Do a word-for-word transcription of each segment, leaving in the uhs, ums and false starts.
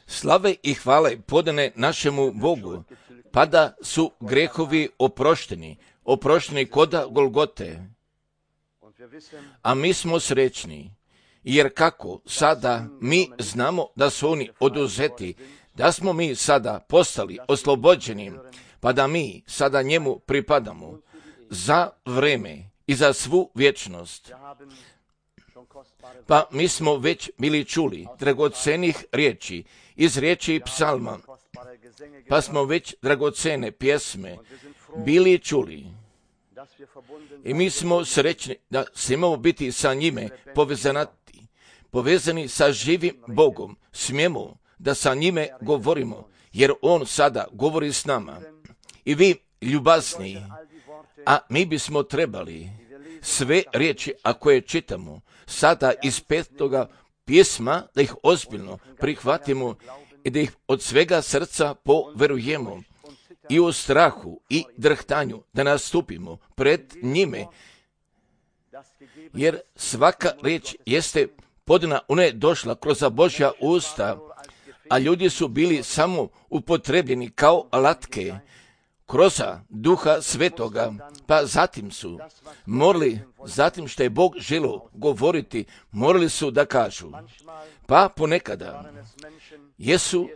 Slave i hvale podane našemu Bogu, pa da su grehovi oprošteni, oprošteni koda Golgote. A mi smo srećni, jer kako sada mi znamo da su oni oduzeti, da smo mi sada postali oslobođeni, pa da mi sada njemu pripadamo za vreme i za svu vječnost. Pa mi smo već bili čuli dragocenih riječi iz riječi psalma, pa smo već dragocene pjesme bili čuli. I mi smo srećni da smijemo biti sa njime povezanati, povezani sa živim Bogom. Smijemo da sa njime govorimo, jer on sada govori s nama. I vi ljubazni, a mi bismo trebali sve riječi, ako je čitamo, sada iz petoga pisma, da ih ozbiljno prihvatimo i da ih od svega srca poverujemo i u strahu i drhtanju da nastupimo pred njime, jer svaka riječ jeste podana, ona je došla kroz Božja usta, a ljudi su bili samo upotrebljeni kao alatke kroz Duha Svetoga, pa zatim su morali, zatim što je Bog želio govoriti, morali su da kažu. Pa ponekada jesu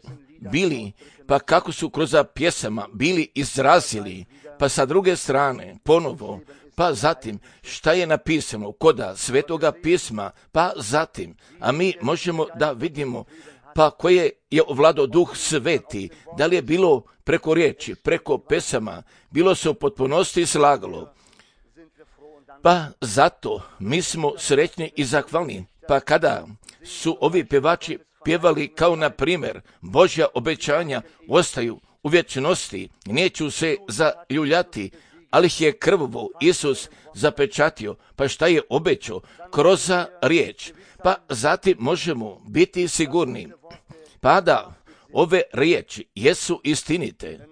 bili, pa kako su kroz pjesama bili izrazili, pa sa druge strane ponovo, pa zatim šta je napisano koda Svetoga pisma, pa zatim, a mi možemo da vidimo pa koje je ovladao Duh Sveti, da li je bilo preko riječi, preko pesama, bilo se u potpunosti slagalo. Pa zato mi smo srećni i zahvalni, pa kada su ovi pjevači pjevali kao na primjer Božja obećanja ostaju u vječnosti, neću se zaljuljati, ali ih je krvovo Isus zapečatio, pa šta je obećao kroz riječ, pa zatim možemo biti sigurni, pa da ove riječi jesu istinite.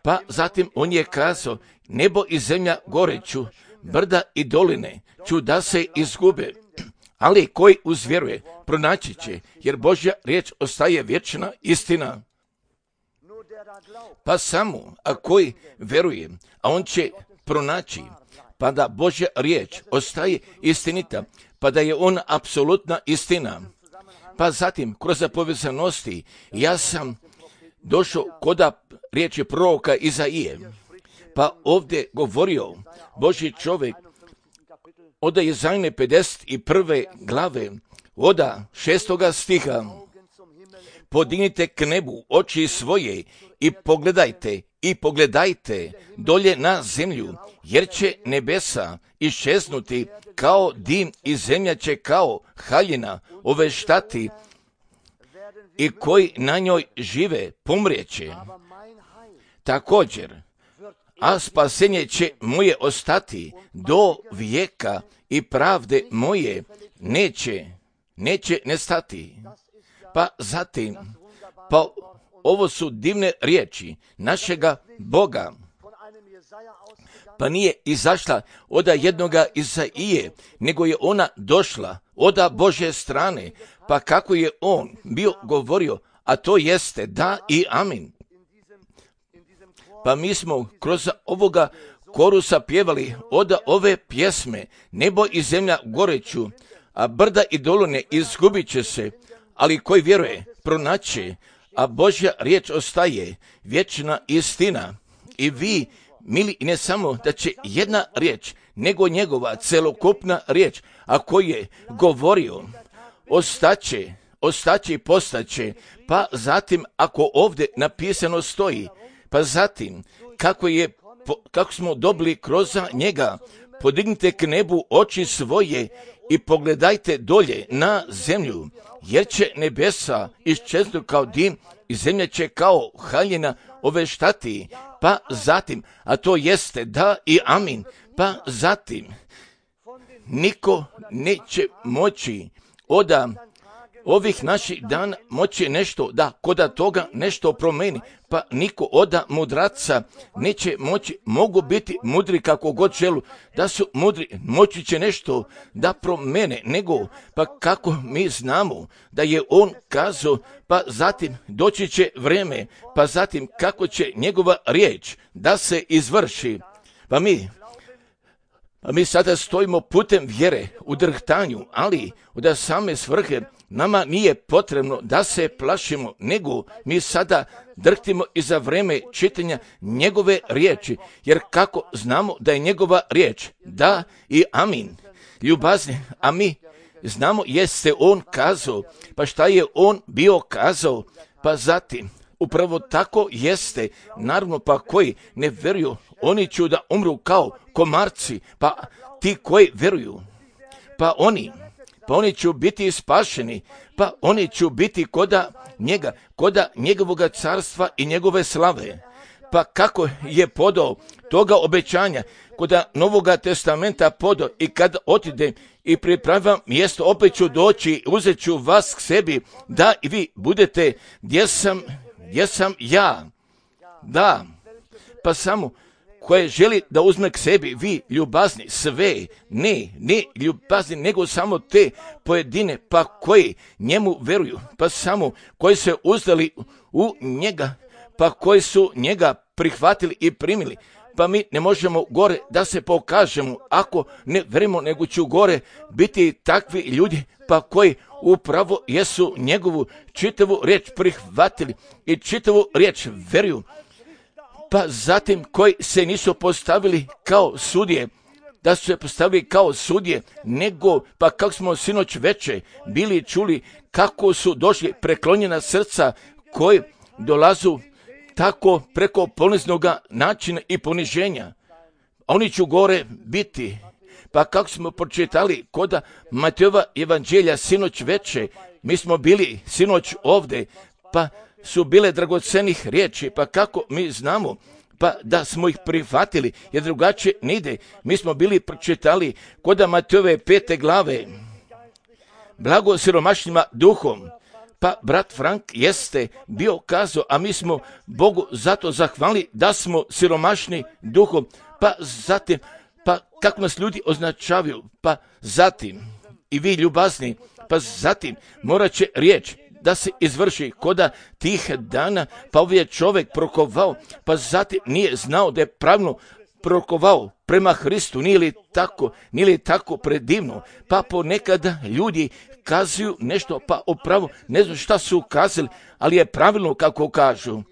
Pa zatim on je kazao, nebo i zemlja goreću, brda i doline ću da se izgube, ali koji uzvjeruje pronaći će, jer Božja riječ ostaje vječna istina. Pa samo, a koji veruje, a on će pronaći, pa da Božja riječ ostaje istinita, pa da je on apsolutna istina. Pa zatim, kroz povezanosti, ja sam došao koda riječi proroka Izaije, pa ovdje govorio Božji čovjek od Izajine pedeset prve glave, od šestoga stiha, podignite k nebu oči svoje i pogledajte i pogledajte dolje na zemlju, jer će nebesa iščeznuti kao dim i zemlja će kao haljina oveštati i koji na njoj žive pomrijeće. Također, a spasenje će moje ostati do vijeka i pravde moje neće, neće nestati. Pa zatim, pa ovo su divne riječi našega Boga. Pa nije izašla od jednoga Izaije, nego je ona došla od Božje strane, pa kako je on bio govorio, a to jeste da i amin. Pa mi smo kroz ovoga korusa pjevali od ove pjesme, nebo i zemlja goreću, a brda i doline izgubit će se, ali koji vjeruje pronaće, a Božja riječ ostaje vječna istina. I vi, mili, ne samo da će jedna riječ, nego njegova celokupna riječ, a koji je govorio, ostaće, ostaće i postaće, pa zatim ako ovdje napisano stoji, pa zatim kako je, kako smo dobili kroz njega, podignite k nebu oči svoje i pogledajte dolje na zemlju, jer će nebesa iščeznuti kao dim i zemlja će kao haljina oveštati, pa zatim, a to jeste da i amin, pa zatim, niko neće moći od ovih naših dana moći nešto da kod toga nešto promeni, pa niko od mudraca neće moći, mogu biti mudri kako god želu, da su mudri, moći će nešto da promene, nego pa kako mi znamo da je on kazao, pa zatim doći će vreme, pa zatim kako će njegova riječ da se izvrši. Pa mi A mi sada stojimo putem vjere u drhtanju, ali od same svrhe nama nije potrebno da se plašimo, nego mi sada drhtimo i za vreme čitanja njegove riječi, jer kako znamo da je njegova riječ da i amin. Ljubazni, a mi znamo jeste on kazao, pa šta je on bio kazao, pa zatim upravo tako jeste, naravno pa koji ne vjeruju, oni će da umru kao komarci, pa ti koji vjeruju, pa oni, pa oni će biti spašeni, pa oni će biti koda njega, koda njegovog carstva i njegove slave. Pa kako je podao toga obećanja, koda Novoga testamenta podao i kad otide i pripravim mjesto, opet ću doći, uzet ću vas k sebi, da i vi budete gdje sam, gdje sam ja. Da, pa samo koje želi da uzme k sebi, vi ljubazni, sve, ne, ne ljubazni, nego samo te pojedine, pa koji njemu vjeruju, pa samo koji se uzdali u njega, pa koji su njega prihvatili i primili. Pa mi ne možemo gore da se pokažemo, ako ne vjerujemo, nego ću gore biti takvi ljudi, pa koji upravo jesu njegovu čitavu riječ prihvatili i čitavu riječ vjeruju. Pa zatim koji se nisu postavili kao sudije, da su se postavili kao sudije, nego pa kako smo sinoć veče bili čuli kako su došli preklonjena srca koji dolazu tako preko poniznog načina i poniženja. Oni će gore biti. Pa kako smo pročitali kod Matejova evanđelja sinoć veče, mi smo bili sinoć ovdje, pa su bile dragocenih riječi, pa kako mi znamo, pa da smo ih prihvatili, jer drugačije ne ide. Mi smo bili pročitali kod Matejove pete glave, blago siromašnima duhom, pa brat Frank jeste bio kazao, a mi smo Bogu zato zahvalili da smo siromašni duhom, pa zatim, pa kako nas ljudi označavaju, pa zatim i vi ljubazni, pa zatim morat će riječ da se izvrši koda tih dana, pa ovaj je čovjek prokovao, pa zatim nije znao da je pravilno prokovao prema Hristu, nije li tako, nije li tako predivno, pa ponekada ljudi kazuju nešto, pa upravo ne znam šta su kazali, ali je pravilno kako kažu,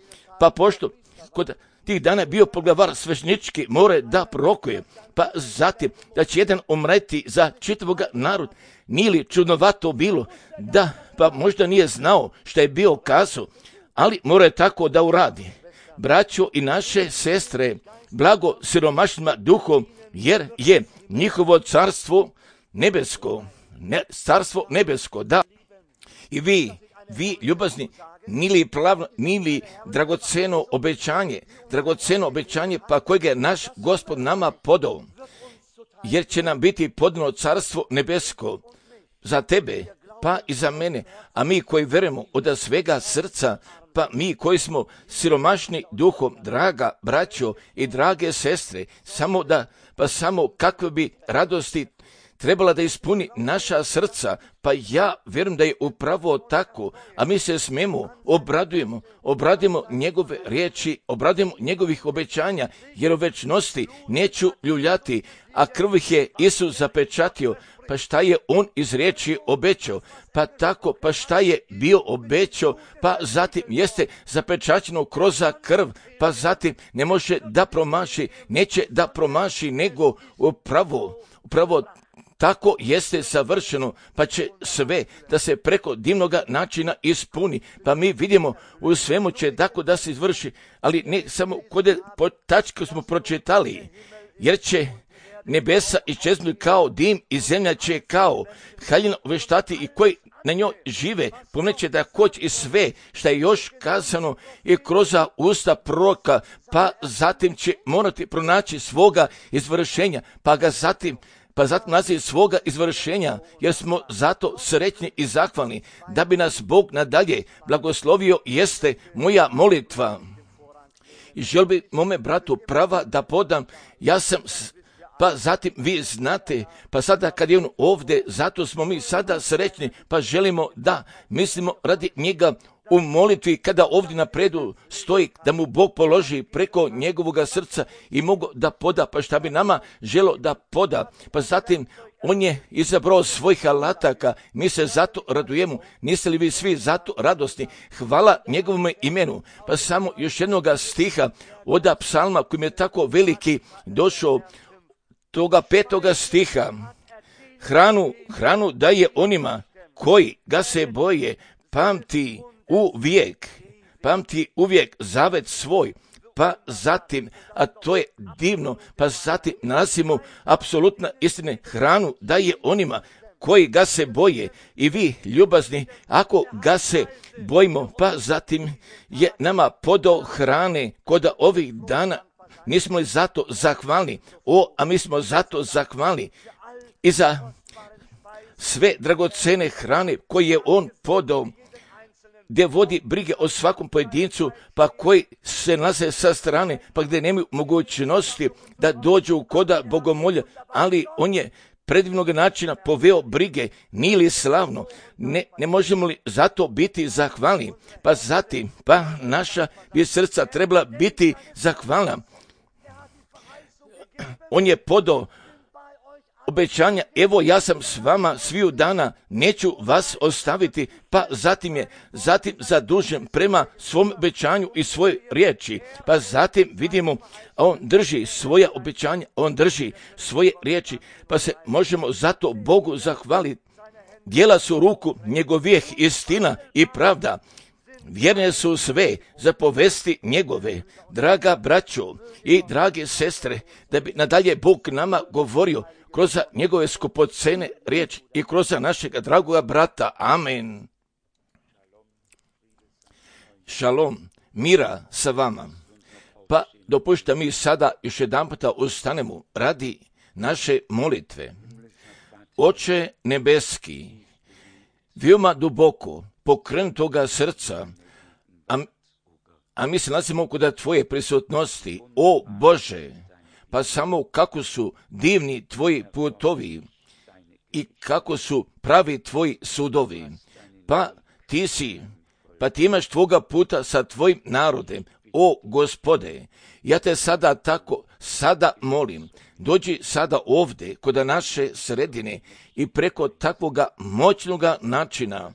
pa pošto kod tih dana je bio poglavar sveštenički, more da prorokuje, pa zatim da će jedan umreti za čitavog narod, nije li čudnovato bilo, da pa možda nije znao šta je bio kazao, ali mora tako da uradi. Braćo i naše sestre, blago siromašnima duhom, jer je njihovo carstvo nebesko, ne, carstvo nebesko, da. I vi, vi ljubazni, nili plavno, nili dragoceno obećanje, dragoceno obećanje pa kojeg je naš Gospod nama podao, jer će nam biti podano carstvo nebesko za tebe, pa i za mene, a mi koji vjerujemo od svega srca, pa mi koji smo siromašni duhom, draga braćo i drage sestre, samo da, pa samo kakve bi radosti trebala da ispuni naša srca, pa ja vjerujem da je upravo tako, a mi se smemo, obradujemo, obradujemo njegove riječi, obradujemo njegovih obećanja, jer u večnosti neću ljuljati, a krv ih je Isus zapečatio, pa šta je on iz riječi obećao, pa tako, pa šta je bio obećao, pa zatim jeste zapečaćeno kroz krv, pa zatim ne može da promaši, neće da promaši, nego upravo, upravo tako jeste savršeno, pa će sve da se preko divnog načina ispuni. Pa mi vidimo u svemu će tako da se izvrši, ali ne samo kod po tačku smo pročitali, jer će nebesa iščeznuti kao dim i zemlja će kao haljina uveštati i koji na njoj žive, pomneće da koć i sve što je još kazano i kroz usta proroka, pa zatim će morati pronaći svoga izvršenja, pa ga zatim pa zatim naziv svoga izvršenja, jer smo zato srećni i zahvalni, da bi nas Bog nadalje blagoslovio, jeste moja molitva. I žel bi mome bratu prava da podam, ja sam, pa zatim vi znate, pa sada kad je on ovdje, zato smo mi sada srećni, pa želimo da mislimo radi njega u molitvi, kada ovdje napredu stoji, da mu Bog položi preko njegovoga srca i mogu da poda, pa šta bi nama želo da poda, pa zatim on je izabrao svojih alataka, mi se zato radujemo, niste li vi svi zato radosni, hvala njegovom imenu, pa samo još jednoga stiha od psalma koji mi je tako veliki došao, toga petoga stiha, hranu, hranu daje onima koji ga se boje, pamti uvijek, pamti uvijek zavet svoj, pa zatim, a to je divno, pa zatim nalazimo apsolutna istine, hranu daje onima koji ga se boje i vi ljubazni, ako ga se bojimo, pa zatim je nama podao hrane kod ovih dana, nismo li zato zahvalni, o, a mi smo zato zahvalni i za sve dragocene hrane koje je on podao, gdje vodi brige o svakom pojedincu, pa koji se nalaze sa strane, pa gdje nemaju mogućnosti da dođu koda bogomolja, ali on je predivnog načina poveo brige, nije li slavno, ne, ne možemo li zato biti zahvalni, pa zatim, pa naša bi srca trebala biti zahvalna. On je podao obećanja, evo ja sam s vama sviju dana, neću vas ostaviti, pa zatim je zatim zadužen prema svom obećanju i svojoj riječi, pa zatim vidimo, on drži svoja obećanja, on drži svoje riječi, pa se možemo zato Bogu zahvaliti. Djela su ruku njegovih istina i pravda, vjerne su sve zapovesti njegove, draga braćo i drage sestre, da bi nadalje Bog nama govorio kroz njegove skupocene riječi i kroz našega dragoga brata. Amen. Šalom, mira sa vama. Pa dopušta mi sada još jedan puta ustanemo radi naše molitve. Oče nebeski, veoma duboko pokrenutoga srca, a, a mi se nalazimo kod tvoje prisutnosti, o Bože, pa samo kako su divni tvoji putovi i kako su pravi tvoji sudovi, pa ti si, pa ti imaš tvoga puta sa tvojim narodem, o Gospode, ja te sada tako, sada molim, dođi sada ovdje kod naše sredine i preko takvoga moćnoga načina,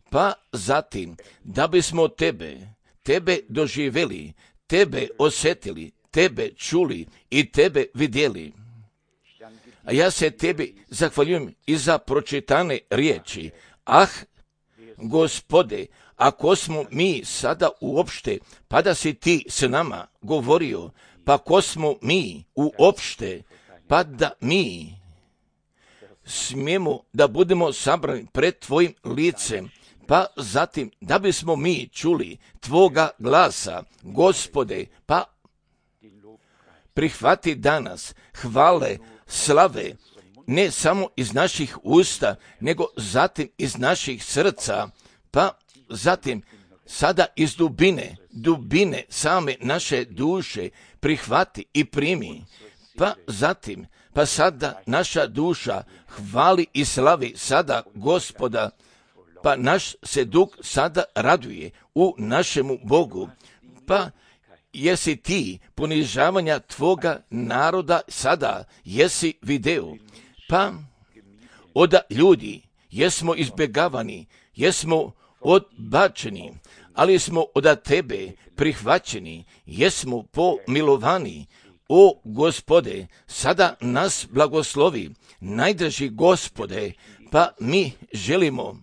pa zatim, da bismo tebe, tebe doživjeli, tebe osjetili, tebe čuli i tebe vidjeli. A ja se tebi zahvaljujem i za pročitane riječi. Ah, Gospode, ako smo mi sada uopšte, pa da si ti s nama govorio, pa ko smo mi uopšte, pa da mi smijemo da budemo sabrani pred tvojim licem, pa zatim da bismo mi čuli tvoga glasa, Gospode, pa prihvati danas hvale, slave, ne samo iz naših usta, nego zatim iz naših srca, pa zatim sada iz dubine, dubine same naše duše prihvati i primi, pa zatim, pa sada naša duša hvali i slavi sada Gospoda, pa naš se duh sada raduje u našemu Bogu, pa jesi ti ponižavanja tvoga naroda sada, jesi video, pa od ljudi jesmo izbjegavani, jesmo odbačeni, ali smo od tebe prihvaćeni, jesmo pomilovani, o Gospode, sada nas blagoslovi, najdraži Gospode, pa mi želimo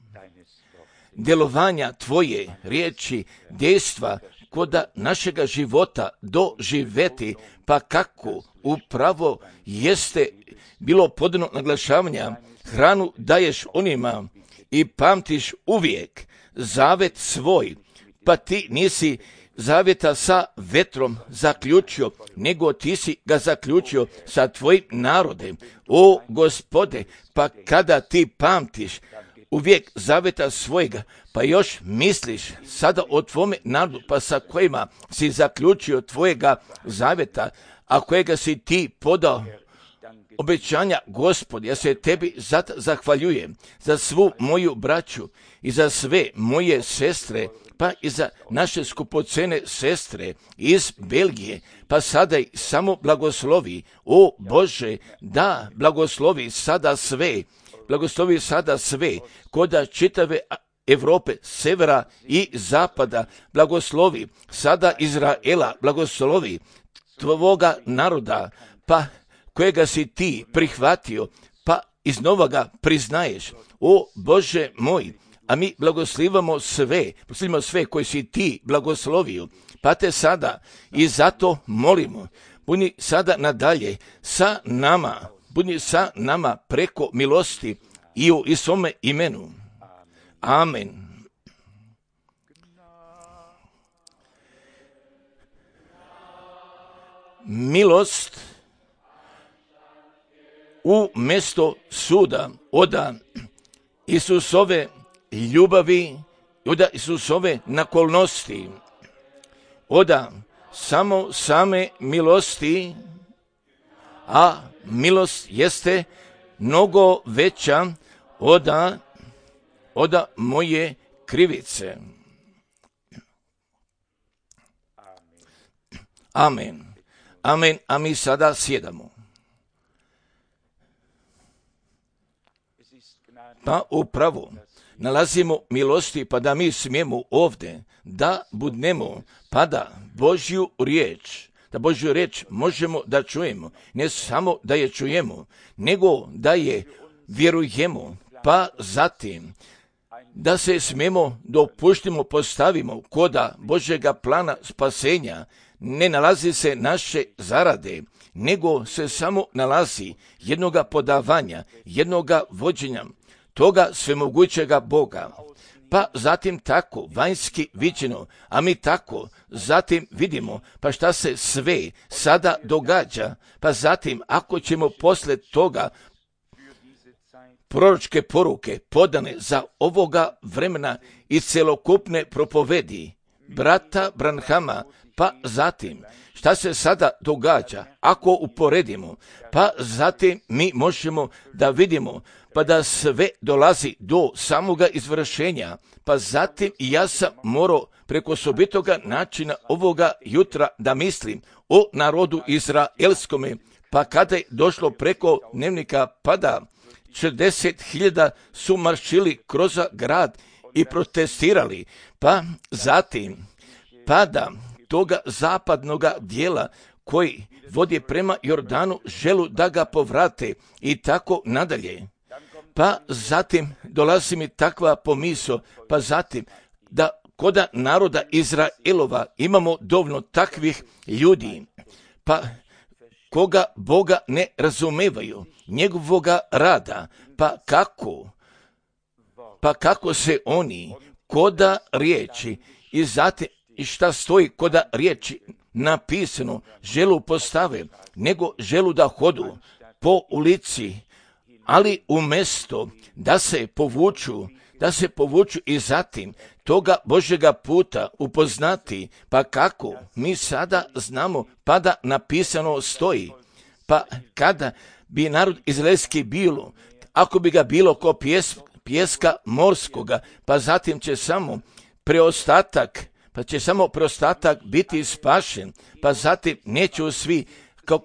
djelovanja tvoje riječi, dejstva kod našega života doživeti, pa kako upravo jeste bilo podano naglašavanja, hranu daješ onima i pamtiš uvijek zavet svoj, pa ti nisi zavjeta sa vetrom zaključio, nego ti si ga zaključio sa tvojim narodem. O Gospode, pa kada ti pamtiš uvijek zavjeta svojega, pa još misliš sada o tvome narodu, pa sa kojima si zaključio tvojega zavjeta, a kojega si ti podao obećanja, Gospodi, ja se tebi zato zahvaljujem za svu moju braću i za sve moje sestre, pa i za naše skupocene sestre iz Belgije, pa sada i samo blagoslovi, o Bože, da blagoslovi sada sve, blagoslovi sada sve, koda čitave Europe, severa i zapada, blagoslovi sada Izraela, blagoslovi tvoga naroda, pa kojega si ti prihvatio, pa iznova ga priznaješ. O Bože moj, a mi blagoslivamo sve, blagoslivamo sve koji si ti blagoslovio, pa te sada i zato molimo, budi sada nadalje sa nama, budi sa nama preko milosti i u Isome imenu. Amen. Milost u mjesto suda oda Isusove ljubavi, oda Isusove nakolnosti, oda samo same milosti, a milost jeste mnogo veća oda, oda moje krivice. Amen. Amen. A mi sada sjedamo. Pa upravo nalazimo milosti, pa da mi smijemo ovdje da budnemo, pa da Božju riječ, da Božju riječ možemo da čujemo, ne samo da je čujemo, nego da je vjerujemo, pa zatim da se smijemo dopuštimo, postavimo koda Božjega plana spasenja. Ne nalazi se naše zarade, nego se samo nalazi jednoga podavanja, jednoga vođenja toga svemogućega Boga. Pa zatim tako vanjski viđeno, a mi tako zatim vidimo pa šta se sve sada događa, pa zatim ako ćemo posle toga proročke poruke podane za ovoga vremena i celokupne propovedi brata Branhama, pa zatim šta se sada događa ako uporedimo, pa zatim mi možemo da vidimo pa da sve dolazi do samoga izvršenja, pa zatim i ja sam morao preko osobitoga načina ovoga jutra da mislim o narodu izraelskome, pa kada je došlo preko dnevnika, pa da četrdeset hiljada su maršili kroz grad i protestirali, pa zatim pada toga zapadnoga dijela koji vodi prema Jordanu želu da ga povrate i tako nadalje. Pa zatim dolazi mi takva pomisao, pa zatim da koda naroda Izraelova imamo dovoljno takvih ljudi, pa koga Boga ne razumevaju, njegovoga rada, pa kako, pa kako se oni koda riječi i zatim i šta stoji koda riječi napisano želu postave, nego želu da hodu po ulici, ali umjesto da se povuču, da se povuču i zatim toga Božjega puta upoznati, pa kako mi sada znamo, pa da napisano stoji, pa kada bi narod izraelski bilo, ako bi ga bilo ko pjes, pjeska morskoga, pa zatim će samo preostatak, pa će samo preostatak biti spašen, pa zatim neće svi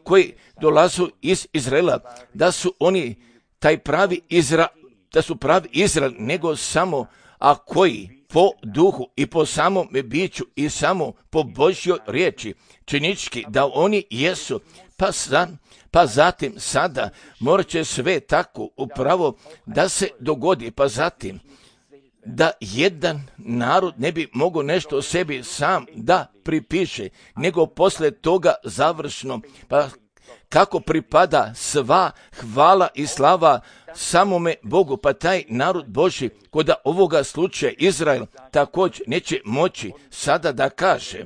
koji dolazu iz Izraela, da su oni taj pravi Izrael, da su pravi Izrael, nego samo, a koji po duhu i po samom biću i samo po Božjoj riječi, činički da oni jesu, pa, sa, pa zatim sada morat će sve tako upravo da se dogodi, pa zatim da jedan narod ne bi mogao nešto o sebi sam da pripiše, nego posle toga završno, pa kako pripada sva hvala i slava samome Bogu, pa taj narod Božji koda ovoga slučaja Izrael također neće moći sada da kaže,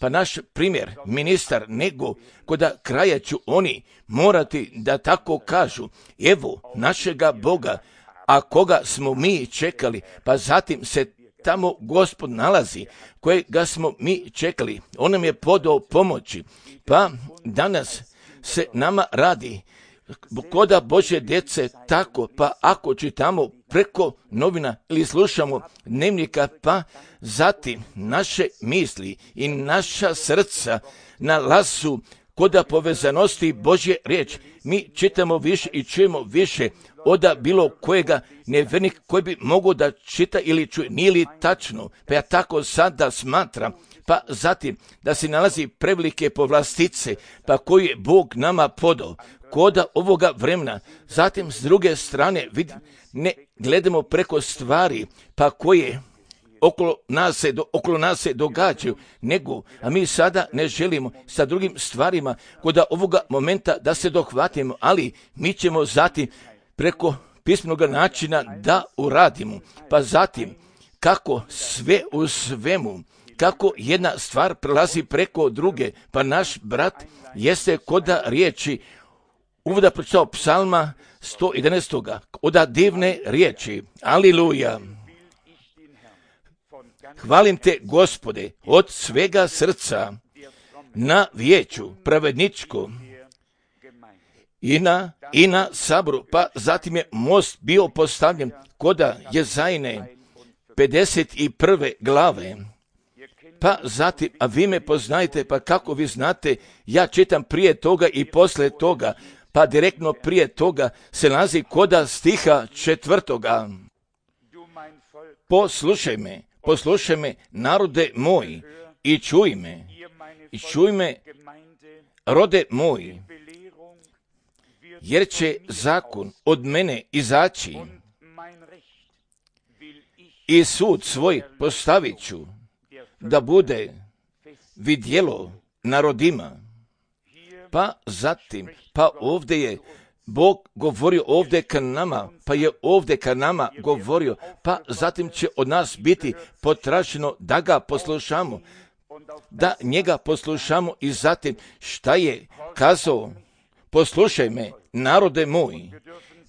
pa naš primjer, ministar, nego koda kraja ću oni morati da tako kažu, evo našega Boga, a koga smo mi čekali, pa zatim se tamo Gospod nalazi, kojega smo mi čekali, on nam je podao pomoći, pa danas se nama radi, koda Božje djece tako, pa ako čitamo preko novina ili slušamo dnevnika, pa zatim naše misli i naša srca nalazu koda povezanosti Božje riječ, mi čitamo više i čujemo više oda bilo kojega nevjernika koji bi mogao da čita ili čuje, nije li tačno, pa ja tako sada smatram, pa zatim da se nalazi prevelike povlastice, pa koji je Bog nama podao, koda ovoga vremena, zatim s druge strane vid, ne gledamo preko stvari, pa koje okolo nas se, do, okolo nas se događaju, nego, a mi sada ne želimo sa drugim stvarima koda ovoga momenta da se dohvatimo, ali mi ćemo zatim preko pismenog načina da uradimo, pa zatim kako sve u svemu, kako jedna stvar prelazi preko druge, pa naš brat jeste koda riječi uvoda pročitao psalma sto jedanaest. Oda divne riječi, aliluja. Hvalim te, Gospode, od svega srca na vijeću pravedničko i na, i na saboru, pa zatim je most bio postavljen koda Jezajne pedeset prve glave. Pa zatim, a vi me poznajete, pa kako vi znate, ja čitam prije toga i posle toga, pa direktno prije toga se nalazi koda stiha četvrtoga. Poslušaj me, poslušaj me, narode moj, i čuj me, i čuj me, rode moj, jer će zakon od mene izaći i sud svoj postavit ću, da bude vidjelo narodima. Pa zatim, pa ovdje je Bog govorio ovdje ka nama, pa je ovdje ka nama govorio, pa zatim će od nas biti potraženo da ga poslušamo, da njega poslušamo i zatim šta je kazao, poslušaj me, narode moj,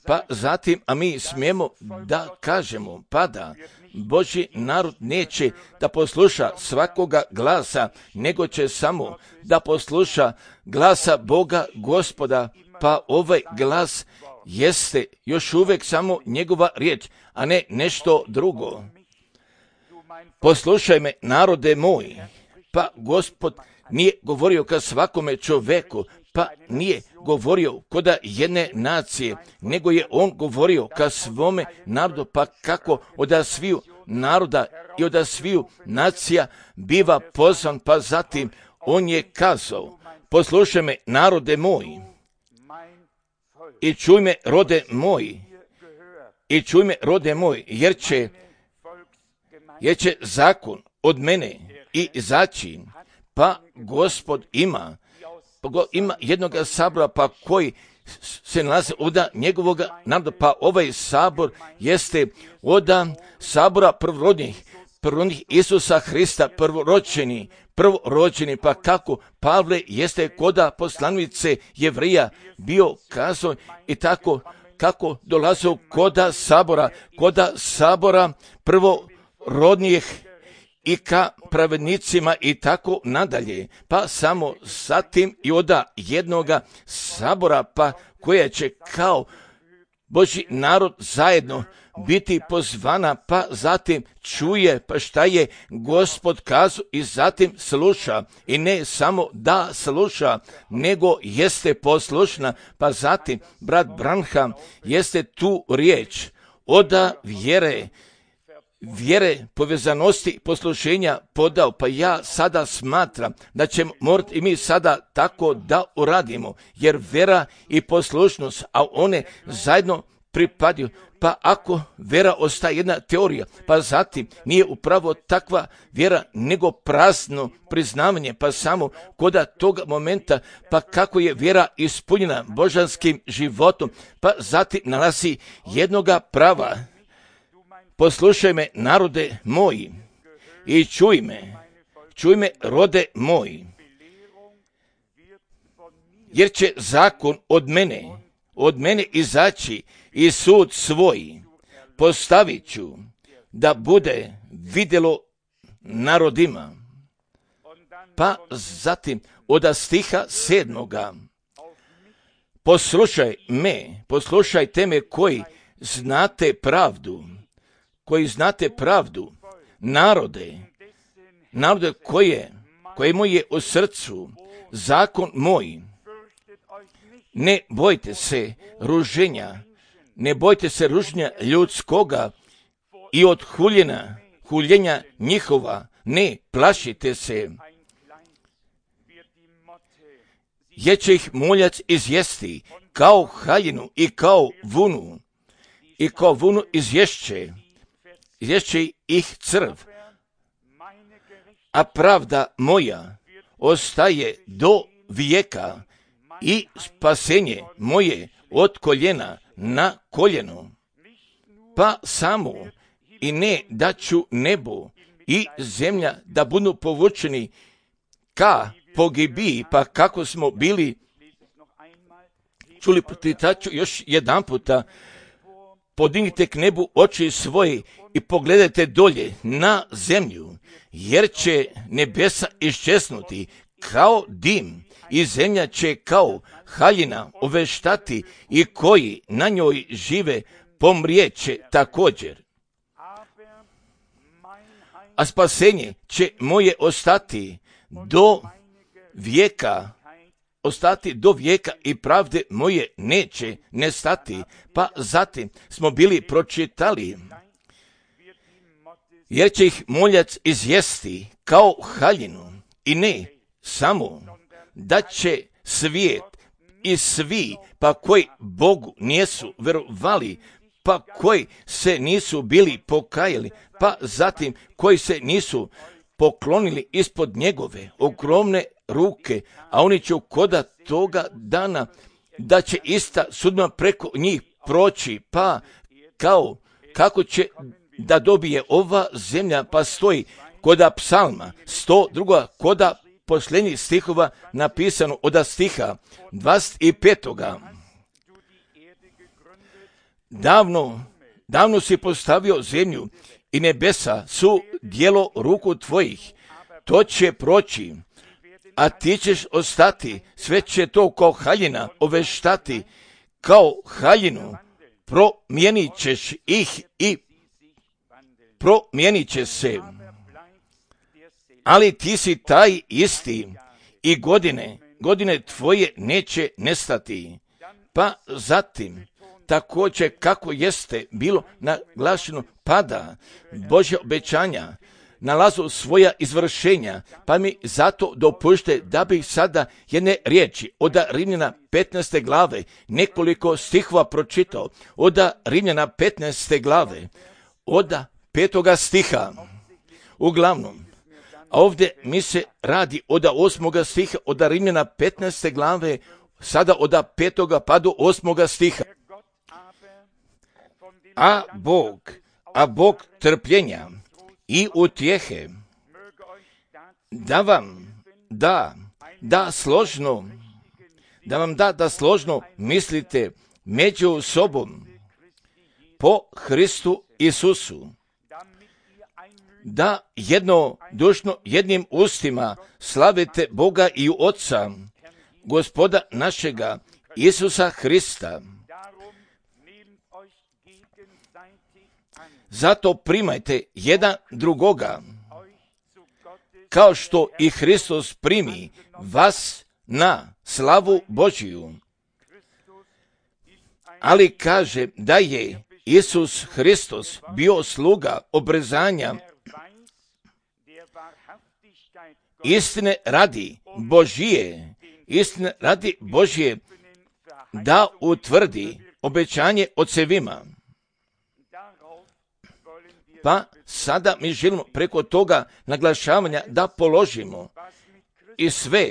pa zatim, a mi smijemo da kažemo, pa da Božji narod neće da posluša svakoga glasa, nego će samo da posluša glasa Boga Gospoda, pa ovaj glas jeste još uvijek samo njegova riječ, a ne nešto drugo. Poslušaj me, narode moj, pa Gospod nije govorio ka svakome čoveku, pa nije govorio koda jedne nacije, nego je on govorio ka svome narodu, pa kako od sviju naroda i od sviju nacija biva pozvan, pa zatim on je kazao, poslušaj me, narode moj, i čuj me, rode moj, i čuj me, rode moj, jer će, jer će zakon od mene i izaći, pa Gospod ima, pa go, ima jednog sabora, pa koji se nalazi od njegovog naroda, pa ovaj sabor jeste od sabora prvorodnih, prvorodnih Isusa Hrista, prvoročeni, prvorođeni, pa kako Pavle jeste koda poslanice Jevrija bio kazao i tako kako dolazio koda sabora, koda sabora prvorodnijih i ka pravednicima i tako nadalje, pa samo zatim i oda jednoga sabora, pa koja će kao Božji narod zajedno biti pozvana, pa zatim čuje pa šta je Gospod kazao i zatim sluša, i ne samo da sluša, nego jeste poslušna, pa zatim brat Branham jeste tu riječ oda vjere, vjere, povezanosti, poslušenja podao, pa ja sada smatram da ćemo morati i mi sada tako da uradimo, jer vera i poslušnost, a one zajedno pripadaju, pa ako vera ostaje jedna teorija, pa zatim nije upravo takva vjera, nego prazno priznavanje, pa samo koda toga momenta, pa kako je vjera ispunjena božanskim životom, pa zatim nalazi jednoga prava. Poslušaj me, narode moji, i čuj me, čuj me, rode moj, jer će zakon od mene, od mene izaći i sud svoj postavit ću da bude vidjelo narodima. Pa zatim od stiha sedmoga, poslušaj me, poslušajte me koji znate pravdu, koji znate pravdu, narode, narode koje, koje mu je u srcu, zakon moj. Ne bojte se ruženja, ne bojte se ruženja ljudskoga i od huljena, huljenja njihova, ne plašite se, jer će ih muljac izjesti kao haljinu i kao vunu, i kao vunu izješće, izješće ih crv, a pravda moja ostaje do vijeka i spasenje moje od koljena na koljeno. Pa samo i ne da ću nebo i zemlja da budu povučeni ka pogibiji, pa kako smo bili čuli, pročitaću još jedan puta, podignite k nebu oči svoje i pogledajte dolje na zemlju, jer će nebesa iščesnuti kao dim i zemlja će kao haljina oveštati i koji na njoj žive pomrijeće također. A spasenje će moje ostati do vijeka, ostati do vijeka i pravde moje neće nestati. Pa zatim smo bili pročitali, jer će ih muljac izjesti kao haljinu i ne samo da će svijet i svi, pa koji Bogu nisu verovali, pa koji se nisu bili pokajali, pa zatim koji se nisu poklonili ispod njegove ogromne ruke, a oni će koda toga dana da će ista sudba preko njih proći, pa kao kako će da dobije ova zemlja, pa stoji koda psalma sto druga koda posljednjih stihova napisano od stiha dvadeset petoga. Davno, davno si postavio zemlju i nebesa su djelo ruku tvojih, to će proći, a ti ćeš ostati, sve će to kao haljina oveštati, kao haljinu promijenit ćeš ih i promijenit će se. Ali ti si taj isti i godine, godine tvoje neće nestati. Pa zatim, također kako jeste bilo naglašeno, pada Božja obećanja, nalazu svoja izvršenja, pa mi zato dopušte da bih sada jedne riječi od Rimljana petnaeste glave, nekoliko stihova pročitao, od Rimljana petnaeste glave, od petoga stiha, uglavnom, a ovdje mi se radi od osmoga stiha, od Rimljana petnaeste glave, sada od petoga pa do osmoga stiha. A Bog, a Bog trpljenja i utjehe, da vam da, da složno, da vam da, da složno mislite među sobom po Hristu Isusu, da jednodušno jednim ustima slavite Boga i Otca, Gospoda našega Isusa Hrista. Zato primajte jedan drugoga, kao što i Hristos primi vas na slavu Božiju. Ali kaže da je Isus Hristos bio sluga obrezanja istine radi Božije, istine radi Božije, da utvrdi obećanje ocevima. Pa sada mi želimo preko toga naglašavanja da položimo i sve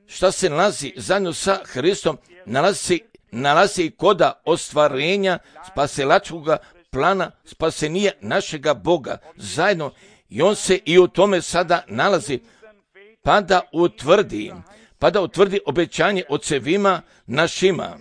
što se nalazi zajedno sa Hristom, nalazi, nalazi koda ostvarenja spasilačkoga plana spasenija našega Boga zajedno I on se i u tome sada nalazi, pa da utvrdi, pa da utvrdi obećanje ocevima našima.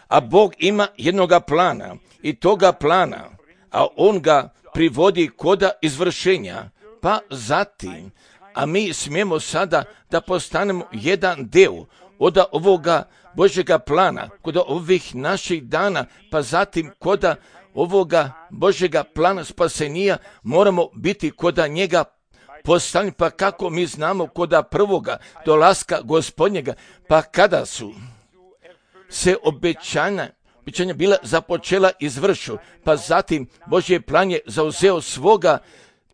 A Bog ima jednoga plana i toga plana, a on ga privodi koda izvršenja, pa zatim, a mi smijemo sada da postanemo jedan deo od ovoga Božjega plana, kod ovih naših dana, pa zatim koda ovoga Božjega plana spasenija moramo biti koda njega postavljeni, pa kako mi znamo koda prvoga dolaska Gospodnjega, pa kada su se obećanja, obećanja bila započela izvršu, pa zatim Božji plan je zauzeo svoga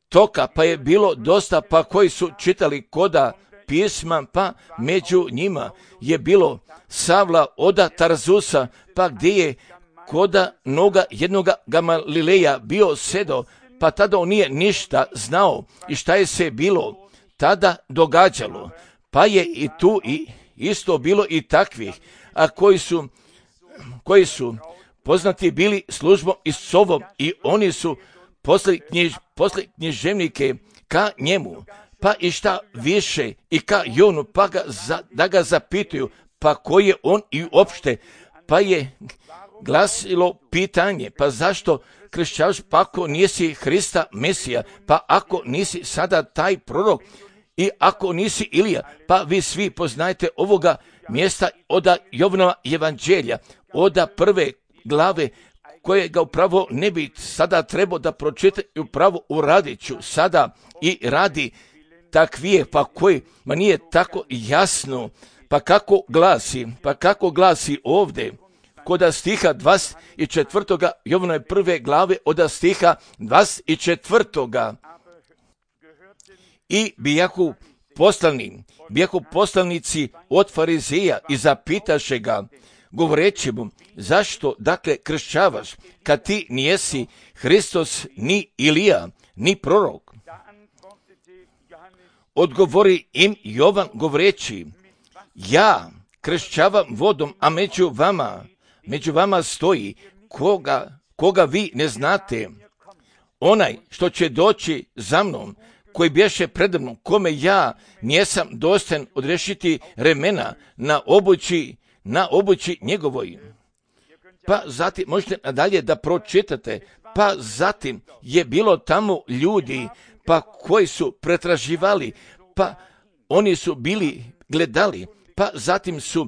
toka, pa je bilo dosta, pa koji su čitali koda pisma, pa među njima je bilo Savla oda Tarzusa, pa gdje je koda noga jednoga Gamalileja bio sedo, pa tada on nije ništa znao i šta je se bilo tada događalo, pa je i tu i isto bilo i takvih, a koji su, koji su poznati bili službom i sovom i oni su poslali knjiž, poslali književnike ka njemu, pa i šta više i ka Jonu, pa ga za, da ga zapituju, pa ko je on i uopšte, pa je glasilo pitanje, pa zašto kršćavaš, pa ako nisi Hrista Mesija, pa ako nisi sada taj prorok i ako nisi Ilija, pa vi svi poznajete ovoga mjesta od Jovanova evanđelja, od prve glave, koje ga upravo ne bi sada trebao da pročita i upravo uradit ću sada i radi takvije, pa koji, ma nije tako jasno, pa kako glasi, pa kako glasi ovdje, kod stiha dvadeset četvrtoga Jovanove prve glave od stiha dvadeset četvrtoga I bijahu poslani, bijahu poslanici od Farizeja i zapitaše ga, govoreći mu, zašto dakle kršćavaš, kad ti nijesi Hristos, ni Ilija, ni prorok? Odgovori im Jovan govoreći, ja kršćavam vodom, a među vama, među vama stoji koga, koga vi ne znate, onaj što će doći za mnom, koji bješe preda mnom, kome ja nijesam dostojan odrešiti remena na obući, na obući njegovoj. Pa zatim, možete nadalje da pročitate, pa zatim je bilo tamo ljudi, pa koji su pretraživali, pa oni su bili gledali, pa zatim su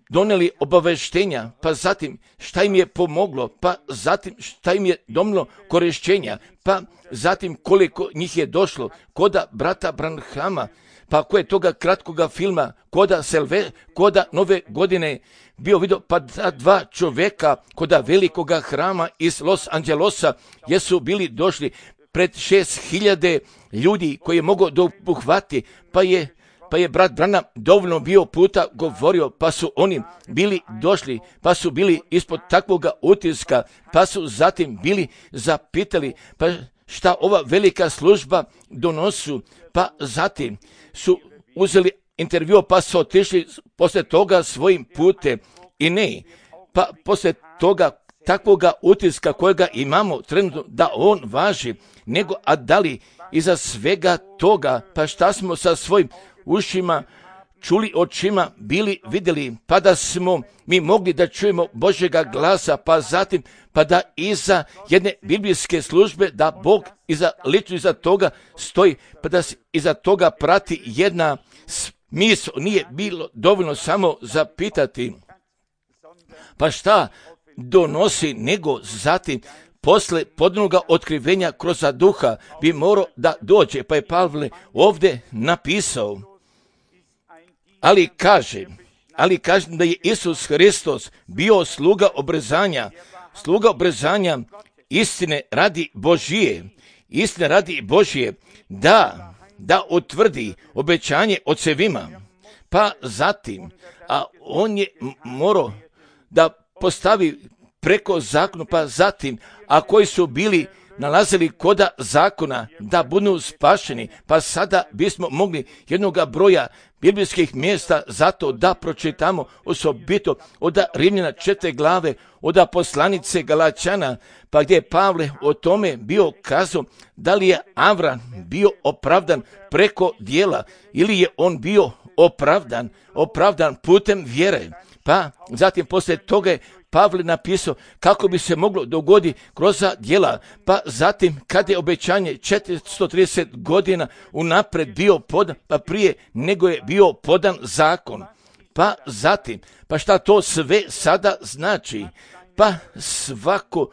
doneli obaveštenja, pa zatim šta im je pomoglo, pa zatim šta im je domlo korišćenja, pa zatim koliko njih je došlo koda brata Branhama, pa koje toga kratkoga filma, koda Selve, koda Nove godine bio vidio, pa dva čovjeka koda velikoga hrama iz Los Angelesa jesu bili došli pred šest hiljade ljudi koji je mogao dopuhvati, pa je Pa je brat Branham dovoljno bio puta govorio, pa su oni bili došli, pa su bili ispod takvoga utiska, pa su zatim bili zapitali, pa šta ova velika služba donosu, pa zatim su uzeli intervju, pa su otišli poslije toga svojim putem i ne, pa poslije toga takvoga utiska kojega imamo trenutno da on važi, nego a da li iza svega toga, pa šta smo sa svojim ušima čuli, očima bili vidjeli, pa da smo mi mogli da čujemo Božjega glasa, pa zatim pa da iza jedne biblijske službe da Bog iza lično iza toga stoji, pa da se iza toga prati jedna smisao. Nije bilo dovoljno samo zapitati pa šta donosi, nego zatim posle podnoga otkrivenja kroz duha bi morao da dođe, pa je Pavle ovdje napisao, ali kaže, ali kaže da je Isus Hristos bio sluga obrezanja, sluga obrezanja istine radi Božije, istine radi Božije, da, da utvrdi obećanje ocevima, pa zatim, a on je morao da postavi preko zakona, pa zatim, a koji su bili nalazili koda zakona da budu spašeni, pa sada bismo mogli jednoga broja biblijskih mjesta zato da pročitamo osobito od Rimljana četiri glave, od poslanice Galačana, pa gdje je Pavle o tome bio kazao da li je Avram bio opravdan preko djela ili je on bio opravdan, opravdan putem vjere. Pa zatim poslije toga je Pavle napisao kako bi se moglo dogoditi kroz djela, pa zatim kad je obećanje četiristo trideset godina unaprijed bio podan, pa prije nego je bio podan zakon. Pa zatim, pa šta to sve sada znači? Pa svako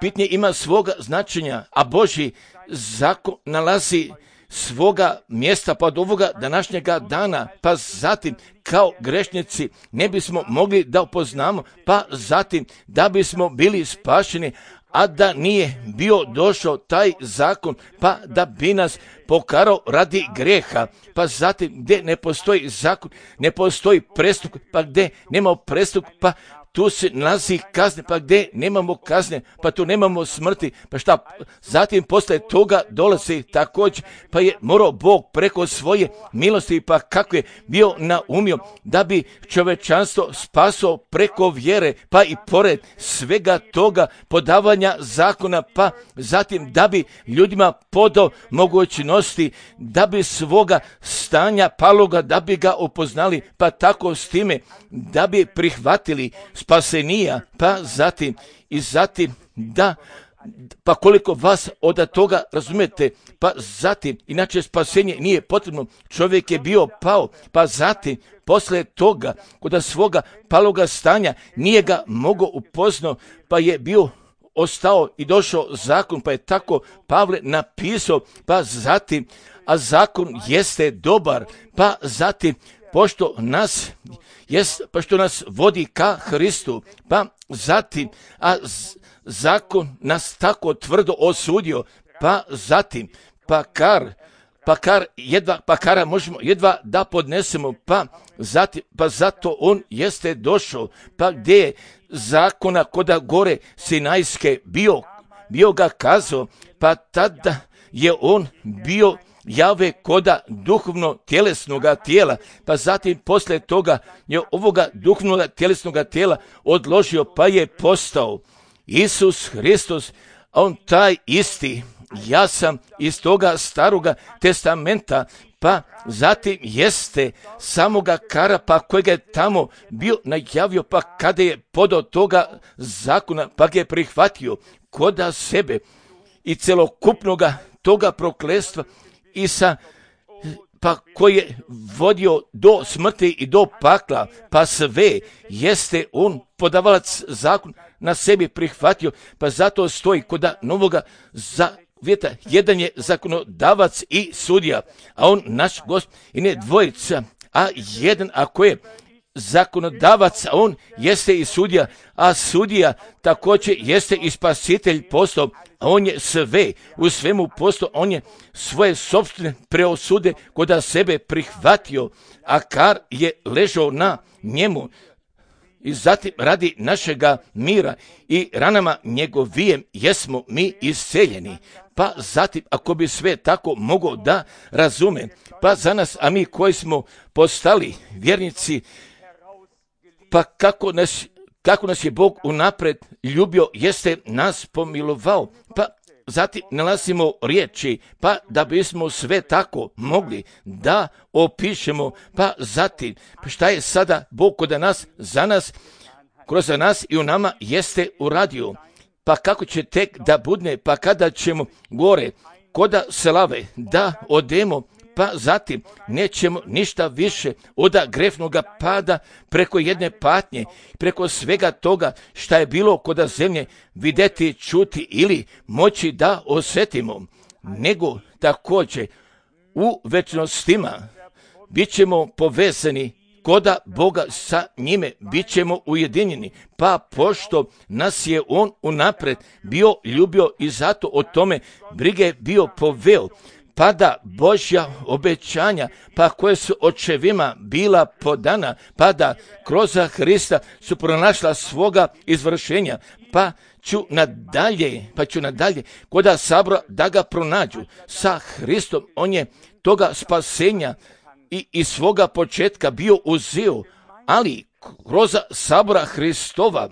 pitanje ima svoga značenja, a Božji zakon nalazi svoga mjesta pa od ovoga današnjega dana, pa zatim kao grešnici ne bismo mogli da upoznamo, pa zatim da bismo bili spašeni, a da nije bio došao taj zakon, pa da bi nas pokarao radi greha, pa zatim gdje ne postoji zakon, ne postoji prestup, pa gdje nema prestup, pa tu se nalazi kazne, pa gdje nemamo kazne, pa tu nemamo smrti, pa šta, zatim posle toga dolazi također, pa je morao Bog preko svoje milosti, pa kako je bio naumio da bi čovečanstvo spasao preko vjere, pa i pored svega toga podavanja zakona, pa zatim da bi ljudima podao mogućnosti, da bi svoga stanja paloga, da bi ga upoznali, pa tako s time da bi prihvatili spasenija, pa zatim i zatim da, pa koliko vas od toga razumijete, pa zatim, inače spasenje nije potrebno, čovjek je bio pao, pa zatim, posle toga, kod svoga paloga stanja, nije ga mogao upoznao, pa je bio ostao i došao zakon, pa je tako Pavle napisao, pa zatim, a zakon jeste dobar, pa zatim, pošto nas jest, pa što nas vodi ka Hristu, pa zatim, a z, zakon nas tako tvrdo osudio, pa zatim, pa kar, pa kar jedva, pa kara možemo jedva da podnesemo, pa zatim, pa zato on jeste došao, pa gdje je zakona koda gore Sinajske bio, bio ga kazao, pa tada je on bio jave koda duhovno tjelesnoga tijela, pa zatim posle toga je ovoga duhovnoga tjelesnoga tijela odložio, pa je postao Isus Hristos, a on taj isti, ja sam iz toga staroga testamenta, pa zatim jeste samoga kara, pa kojega je tamo bio najavio, pa kada je podao toga zakona, pa ga je prihvatio koda sebe i celokupnoga toga prokletstva, i sa, pa koji je vodio do smrti i do pakla, pa sve jeste on podavalac zakon na sebi prihvatio, pa zato stoji koda novoga zavjeta, jedan je zakonodavac i sudija, a on naš Gospod i ne dvojica, a jedan ako je zakonodavac, a on jeste i sudija, a sudija također jeste i spasitelj postao, a on je sve u svemu postao, on je svoje sopstvene preosude koda sebe prihvatio, a kar je ležao na njemu. I zatim radi našega mira i ranama njegovijem jesmo mi isceljeni. Pa zatim, ako bi sve tako mogao da razume, pa za nas, a mi koji smo postali vjernici, pa kako nas, kako nas je Bog unaprijed ljubio, jeste nas pomilovao, pa zatim nalazimo riječi, pa da bismo sve tako mogli da opišemo, pa zatim, pa šta je sada Bog kod nas, za nas, kroz nas i u nama jeste uradio, pa kako će tek da budne, pa kada ćemo gore, koda slave, da odemo, pa zatim nećemo ništa više od grefnoga pada preko jedne patnje, preko svega toga šta je bilo koda zemlje vidjeti, čuti ili moći da osjetimo, nego također u večnostima bit ćemo povezani koda Boga sa njime, bit ćemo ujedinjeni, pa pošto nas je on unaprijed bio ljubio i zato o tome brige bio poveo, pa da Božja obećanja, pa koje su očevima bila podana, pa da kroz Hrista su pronašla svoga izvršenja, pa ću nadalje, pa ću nadalje koda sabora da ga pronađu sa Hristom. On je toga spasenja i iz svoga početka bio uzeo, ali kroz sabora Hristova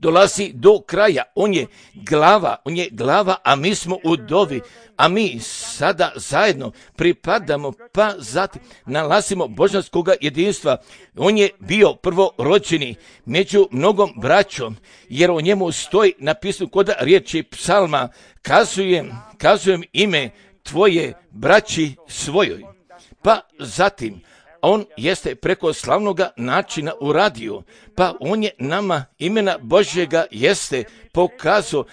dolazi do kraja. On je glava, on je glava, a mi smo udovi, a mi sada zajedno pripadamo, pa zatim nalazimo božanskoga jedinstva. On je bio prvorođeni među mnogom braćom, jer o njemu stoji napisano kod riječi psalma, kazujem, kazujem ime tvoje braći svojoj. Pa zatim on jeste preko slavnoga načina uradio, pa on je nama imena Božjega jeste pokazao,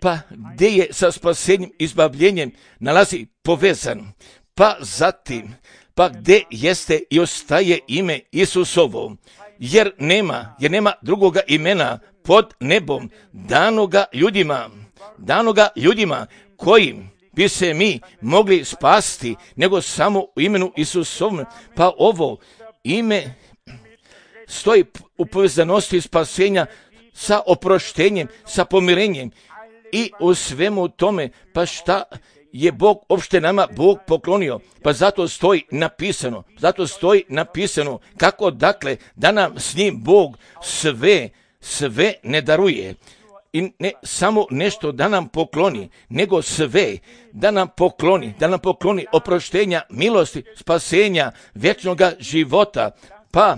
pa gdje je sa spasenjem, izbavljenjem nalazi povezan, pa zatim, pa gdje jeste i ostaje ime Isusovo, jer nema, jer nema drugoga imena pod nebom danoga ljudima, danoga ljudima kojim bi se mi mogli spasti, nego samo u imenu Isusovom. Pa ovo ime stoji u povezanosti spasenja sa oproštenjem, sa pomirenjem i u svemu tome. Pa šta je Bog opšte nama Bog poklonio? Pa zato stoji napisano, zato stoji napisano kako dakle da nam s njim Bog sve, sve ne daruje. I ne samo nešto da nam pokloni, nego sve da nam pokloni, da nam pokloni oproštenja, milosti, spasenja, vječnoga života, pa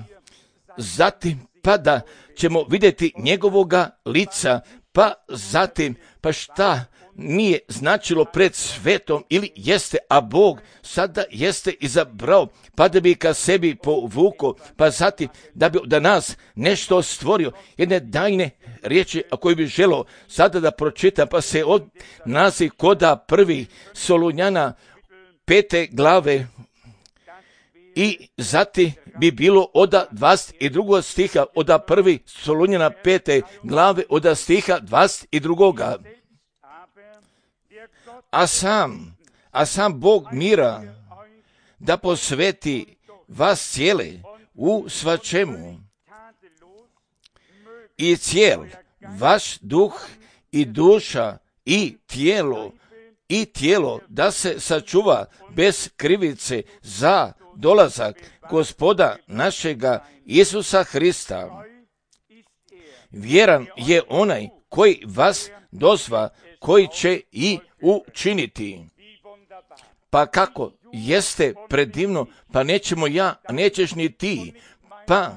zatim pa da ćemo vidjeti njegovoga lica, pa zatim pa šta nije značilo pred svetom ili jeste, a Bog sada jeste izabrao, pa da bi ka sebi povukao, pa zatim da bi da nas nešto stvorio, jedne dajne riječi a koji bi želio sada da pročitam, pa se od nazi koda prvi Solunjana pete glave i zatim bi bilo oda dvadeset drugog stiha, oda prvi Solunjana pete glave, oda stiha dvadeset drugoga. A sam, a sam Bog mira da posveti vas cijele u svačemu i cijel vaš duh i duša i tijelo i tijelo da se sačuva bez krivice za dolazak Gospoda našega Isusa Hrista. Vjeran je onaj koji vas dozva, koji će i učiniti. Pa kako jeste predivno, pa nećemo ja, a nećeš ni ti, pa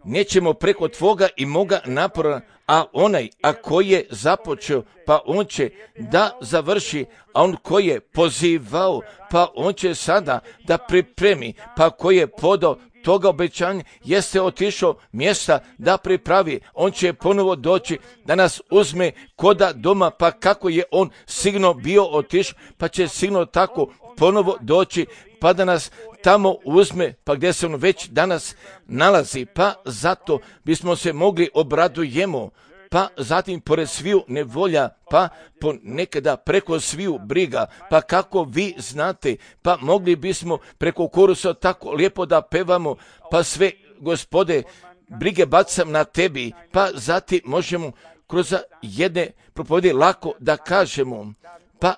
nećemo preko tvoga i moga napora, a onaj, a koji je započeo, pa on će da završi, a on koji je pozivao, pa on će sada da pripremi, pa koji je podao toga obećanja, jeste otišao mjesta da pripravi, on će ponovo doći da nas uzme koda doma, pa kako je on sigurno bio otišao, pa će sigurno tako ponovo doći, pa da nas tamo uzme, pa gdje se on već danas nalazi, pa zato bismo se mogli obradujemo, pa zatim pored sviju nevolja, pa ponekada preko sviju briga, pa kako vi znate, pa mogli bismo preko korusa tako lijepo da pevamo, pa sve, Gospode, brige bacam na tebi, pa zatim možemo kroz jedne propovjedi lako da kažemo, pa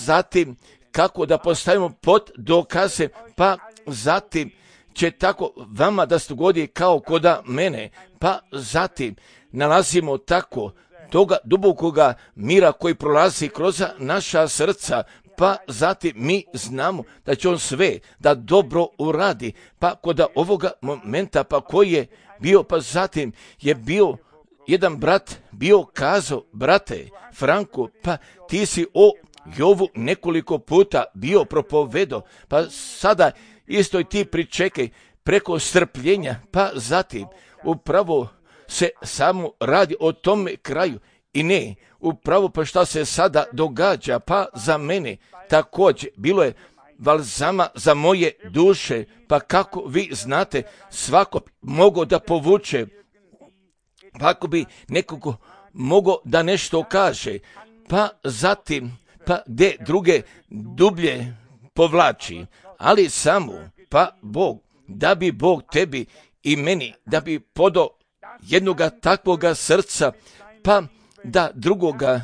zatim kako da postavimo pod dokaze, pa zatim će tako vama da se dogodi kao koda mene, pa zatim nalazimo tako toga dubokoga mira koji prolazi kroz naša srca, pa zatim mi znamo da će on sve da dobro uradi, pa kod ovoga momenta, pa koji je bio, pa zatim je bio jedan brat bio kazao, brate Franko, pa ti si o Jovu nekoliko puta bio propovedo, pa sada isto i ti pričekaj preko strpljenja, pa zatim upravo se samo radi o tome kraju i ne, upravo pa šta se sada događa, pa za mene također bilo je balzama za moje duše, pa kako vi znate, svako mogo da povuče, pa ako bi nekoga mogo da nešto kaže, pa zatim, pa gdje druge dublje povlači, ali samo, pa Bog, da bi Bog tebi i meni, da bi podao jednoga takvoga srca, pa da drugoga,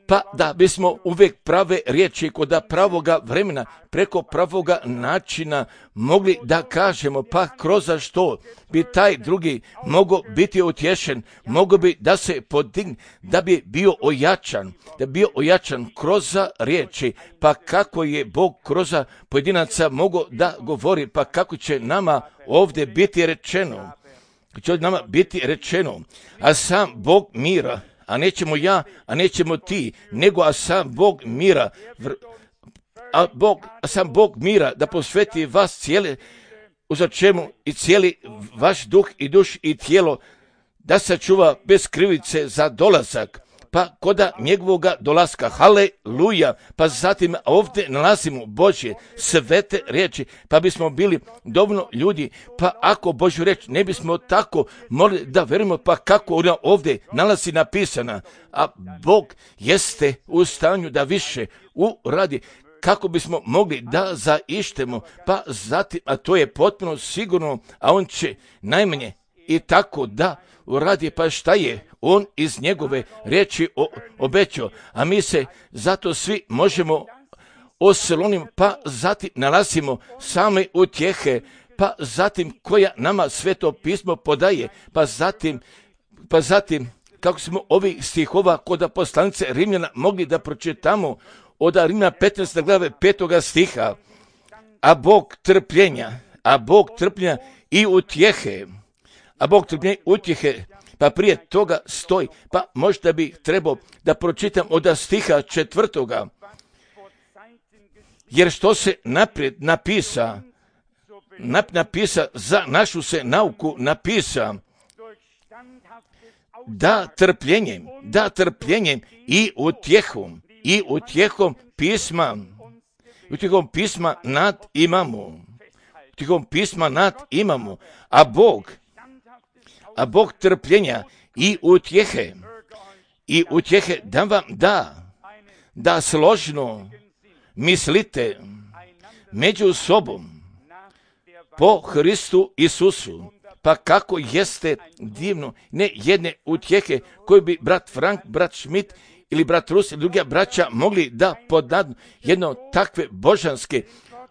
pa da bismo uvijek prave riječi kod pravoga vremena, preko pravoga načina mogli da kažemo, pa kroz što bi taj drugi mogao biti utješen, mogao bi da se podigne, da bi bio ojačan, da bi bio ojačan kroz riječi, pa kako je Bog kroz pojedinaca mogao da govori, pa kako će nama ovdje biti rečeno, će nama biti rečeno, a sam Bog mira, a nećemo ja, a nećemo ti, nego a sam Bog mira, a, Bog, a sam Bog mira da posveti vas cijele, uza čemu i cijeli vaš duh i duš i tijelo, da sačuva bez krivice za dolazak, pa koda njegovoga dolaska, haleluja, pa zatim ovdje nalazimo Božje svete riječi, pa bismo bili dovoljno ljudi, pa ako Božju riječ ne bismo tako mogli da verujemo, pa kako ona ovdje nalazi napisana, a Bog jeste u stanju da više uradi, kako bismo mogli da zaištemo, pa zatim, a to je potpuno sigurno, a on će najmanje i tako da uradi, pa šta je on iz njegove riječi obećao, a mi se zato svi možemo osloniti, pa zatim nalazimo same utjehe, pa zatim koja nama Sveto pismo podaje, pa zatim, pa zatim kako smo ovih stihova kod poslanice Rimljana mogli da pročitamo od Rimljana petnaeste glave petoga stiha, a Bog trpljenja, a Bog trpljenja i utjehe, a Bog trpljenja i utjehe, pa prije toga stoji, pa možda bi trebao da pročitam od stiha četvrtoga, jer što se naprijed napisa, nap, napisa za našu se nauku napisa, da trpljenjem, da trpljenjem i utjehom, i utjehom pisma, utjehom pisma nad imamo, utjehom pisma nad imamo, a Bog, a Bog trpljenja i utjehe, i utjehe da vam da, da složno mislite među sobom po Hristu Isusu, pa kako jeste divno, ne jedne utjehe koje bi brat Frank, brat Schmidt ili brat Rus ili druga braća mogli da podadnu jedno takve božanske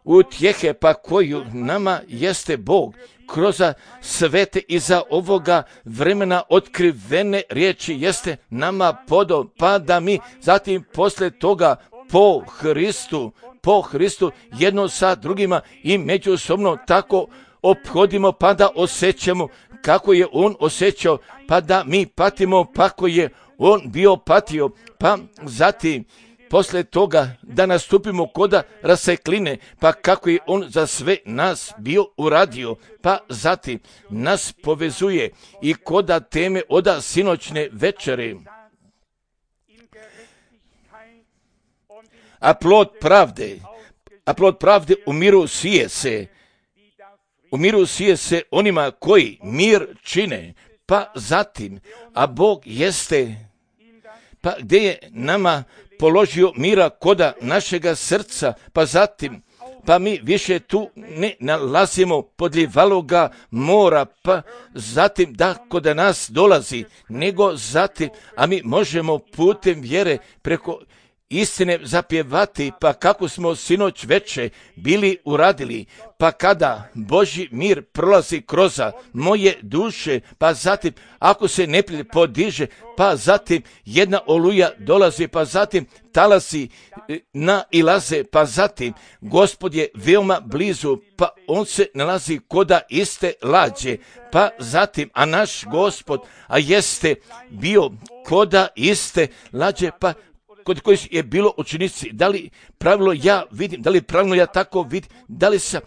utjehe, pa koju nama jeste Bog kroz svete iza ovoga vremena otkrivene riječi jeste nama podao, pa da mi zatim poslije toga po Hristu, po Hristu jedno sa drugima i međusobno tako ophodimo, pa da osjećamo kako je on osjećao, pa da mi patimo, pa ko je on bio patio, pa zatim poslije toga da nastupimo koda rasekline, pa kako je on za sve nas bio uradio, pa zatim nas povezuje i koda teme oda sinoćne večere. A plod pravde, a plod pravde u miru sije se, u miru sije se onima koji mir čine, pa zatim, a Bog jeste, pa gdje je nama položio mira koda našega srca, pa zatim, pa mi više tu ne nalazimo podljivaloga mora, pa zatim da koda nas dolazi, nego zatim, a mi možemo putem vjere preko istine zapjevati, pa kako smo sinoć veče bili uradili, pa kada Božji mir prolazi kroz moje duše, pa zatim ako se neprijatelj podiže, pa zatim jedna oluja dolazi, pa zatim talasi nailaze, pa zatim Gospod je veoma blizu, pa on se nalazi koda iste lađe, pa zatim, a naš Gospod, a jeste bio koda iste lađe, pa kod kojih je bilo učenici, da li pravilo ja vidim, da li pravilno ja tako vidim, da li se,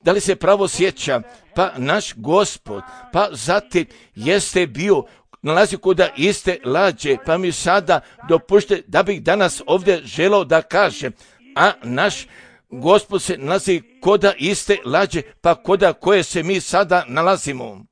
da li se pravo sjeća, pa naš Gospod, pa zatim jeste bio, nalazi kod iste lađe, pa mi sada dopušte da bih danas ovdje želao da kažem, a naš Gospod se nalazi kod iste lađe, pa koda koje se mi sada nalazimo.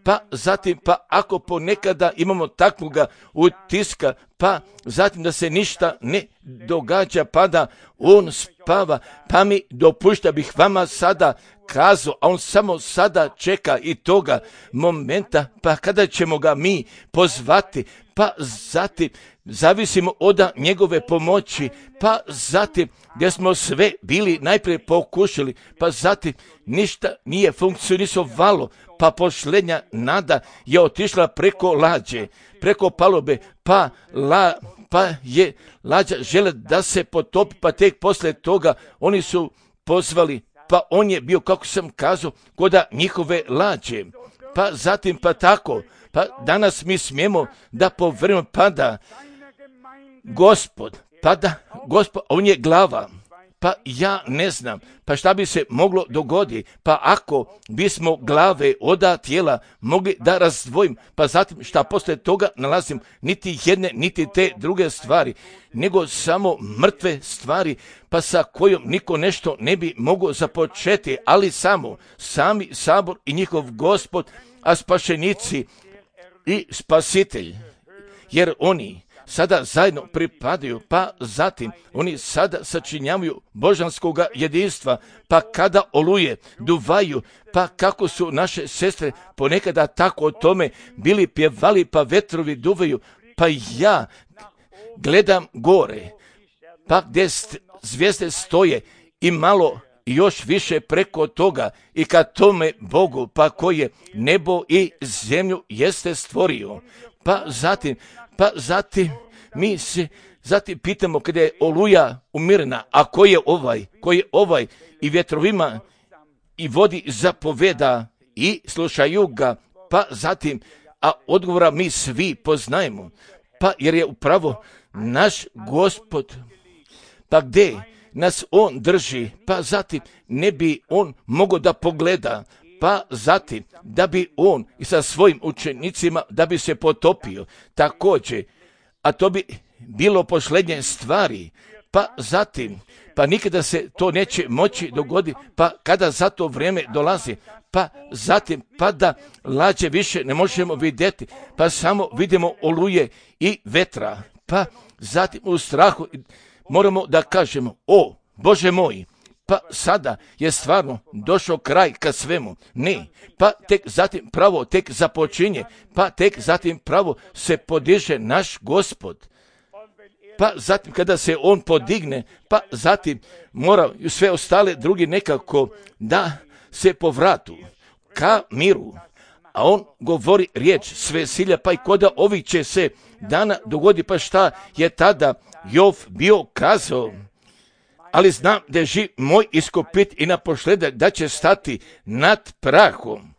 pa zatim, pa ako ponekada imamo takvoga utiska, pa zatim da se ništa ne događa, pa da on spava, pa mi dopušta bih vama sada kazao, a on samo sada čeka i toga momenta, pa kada ćemo ga mi pozvati, pa zatim zavisimo od njegove pomoći, pa zatim gdje smo sve bili najprije pokušali, pa zatim ništa nije funkcionisalo, pa posljednja nada je otišla preko lađe, preko palube, pa, la, pa je lađa žele da se potopi, pa tek poslije toga oni su pozvali, pa on je bio, kako sam kazao, koda njihove lađe, pa zatim pa tako, pa danas mi smijemo da povremeno pada Gospod, pada Gospod, on je glava, pa ja ne znam, pa šta bi se moglo dogoditi, pa ako bismo glave oda tijela mogli da razdvojim, pa zatim šta poslije toga nalazim niti jedne, niti te druge stvari, nego samo mrtve stvari, pa sa kojom niko nešto ne bi mogao započeti, ali samo sami sabor i njihov Gospod, a spašenici i spasitelj, jer oni sada zajedno pripadaju, pa zatim oni sada sačinjavaju božanskoga jedinstva, pa kada oluje, duvaju, pa kako su naše sestre ponekada tako o tome bili pjevali, pa vetrovi duvaju, pa ja gledam gore, pa gdje zvijezde stoje i malo još više preko toga i kad tome Bogu, pa koji je nebo i zemlju jeste stvorio, pa zatim, pa zatim mi se zatim pitamo kada je oluja umirna, a ko je ovaj, ko je ovaj i vjetrovima i vodi zapoveda i slušaju ga, pa zatim, a odgovora mi svi poznajemo, pa jer je upravo naš Gospod, pa gdje nas on drži, pa zatim ne bi on mogao da pogleda, pa zatim da bi on i sa svojim učenicima da bi se potopio također, a to bi bilo posljednje stvari, pa zatim, pa nikada se to neće moći dogoditi, pa kada za to vrijeme dolazi, pa zatim, pa da lađe više ne možemo vidjeti, pa samo vidimo oluje i vetra, pa zatim u strahu moramo da kažemo, o Bože moj, pa sada je stvarno došao kraj ka svemu. Ne, pa tek zatim pravo tek započinje, pa tek zatim pravo se podiže naš Gospod. Pa zatim kada se on podigne, pa zatim moraju sve ostale drugi nekako da se povratu ka miru. A on govori riječ sve silja, pa i koda ovih će se dana dogodi, pa šta je tada Jov bio kazao. Ali znam da je živ moj iskupit i naposljedak da će stati nad prahom.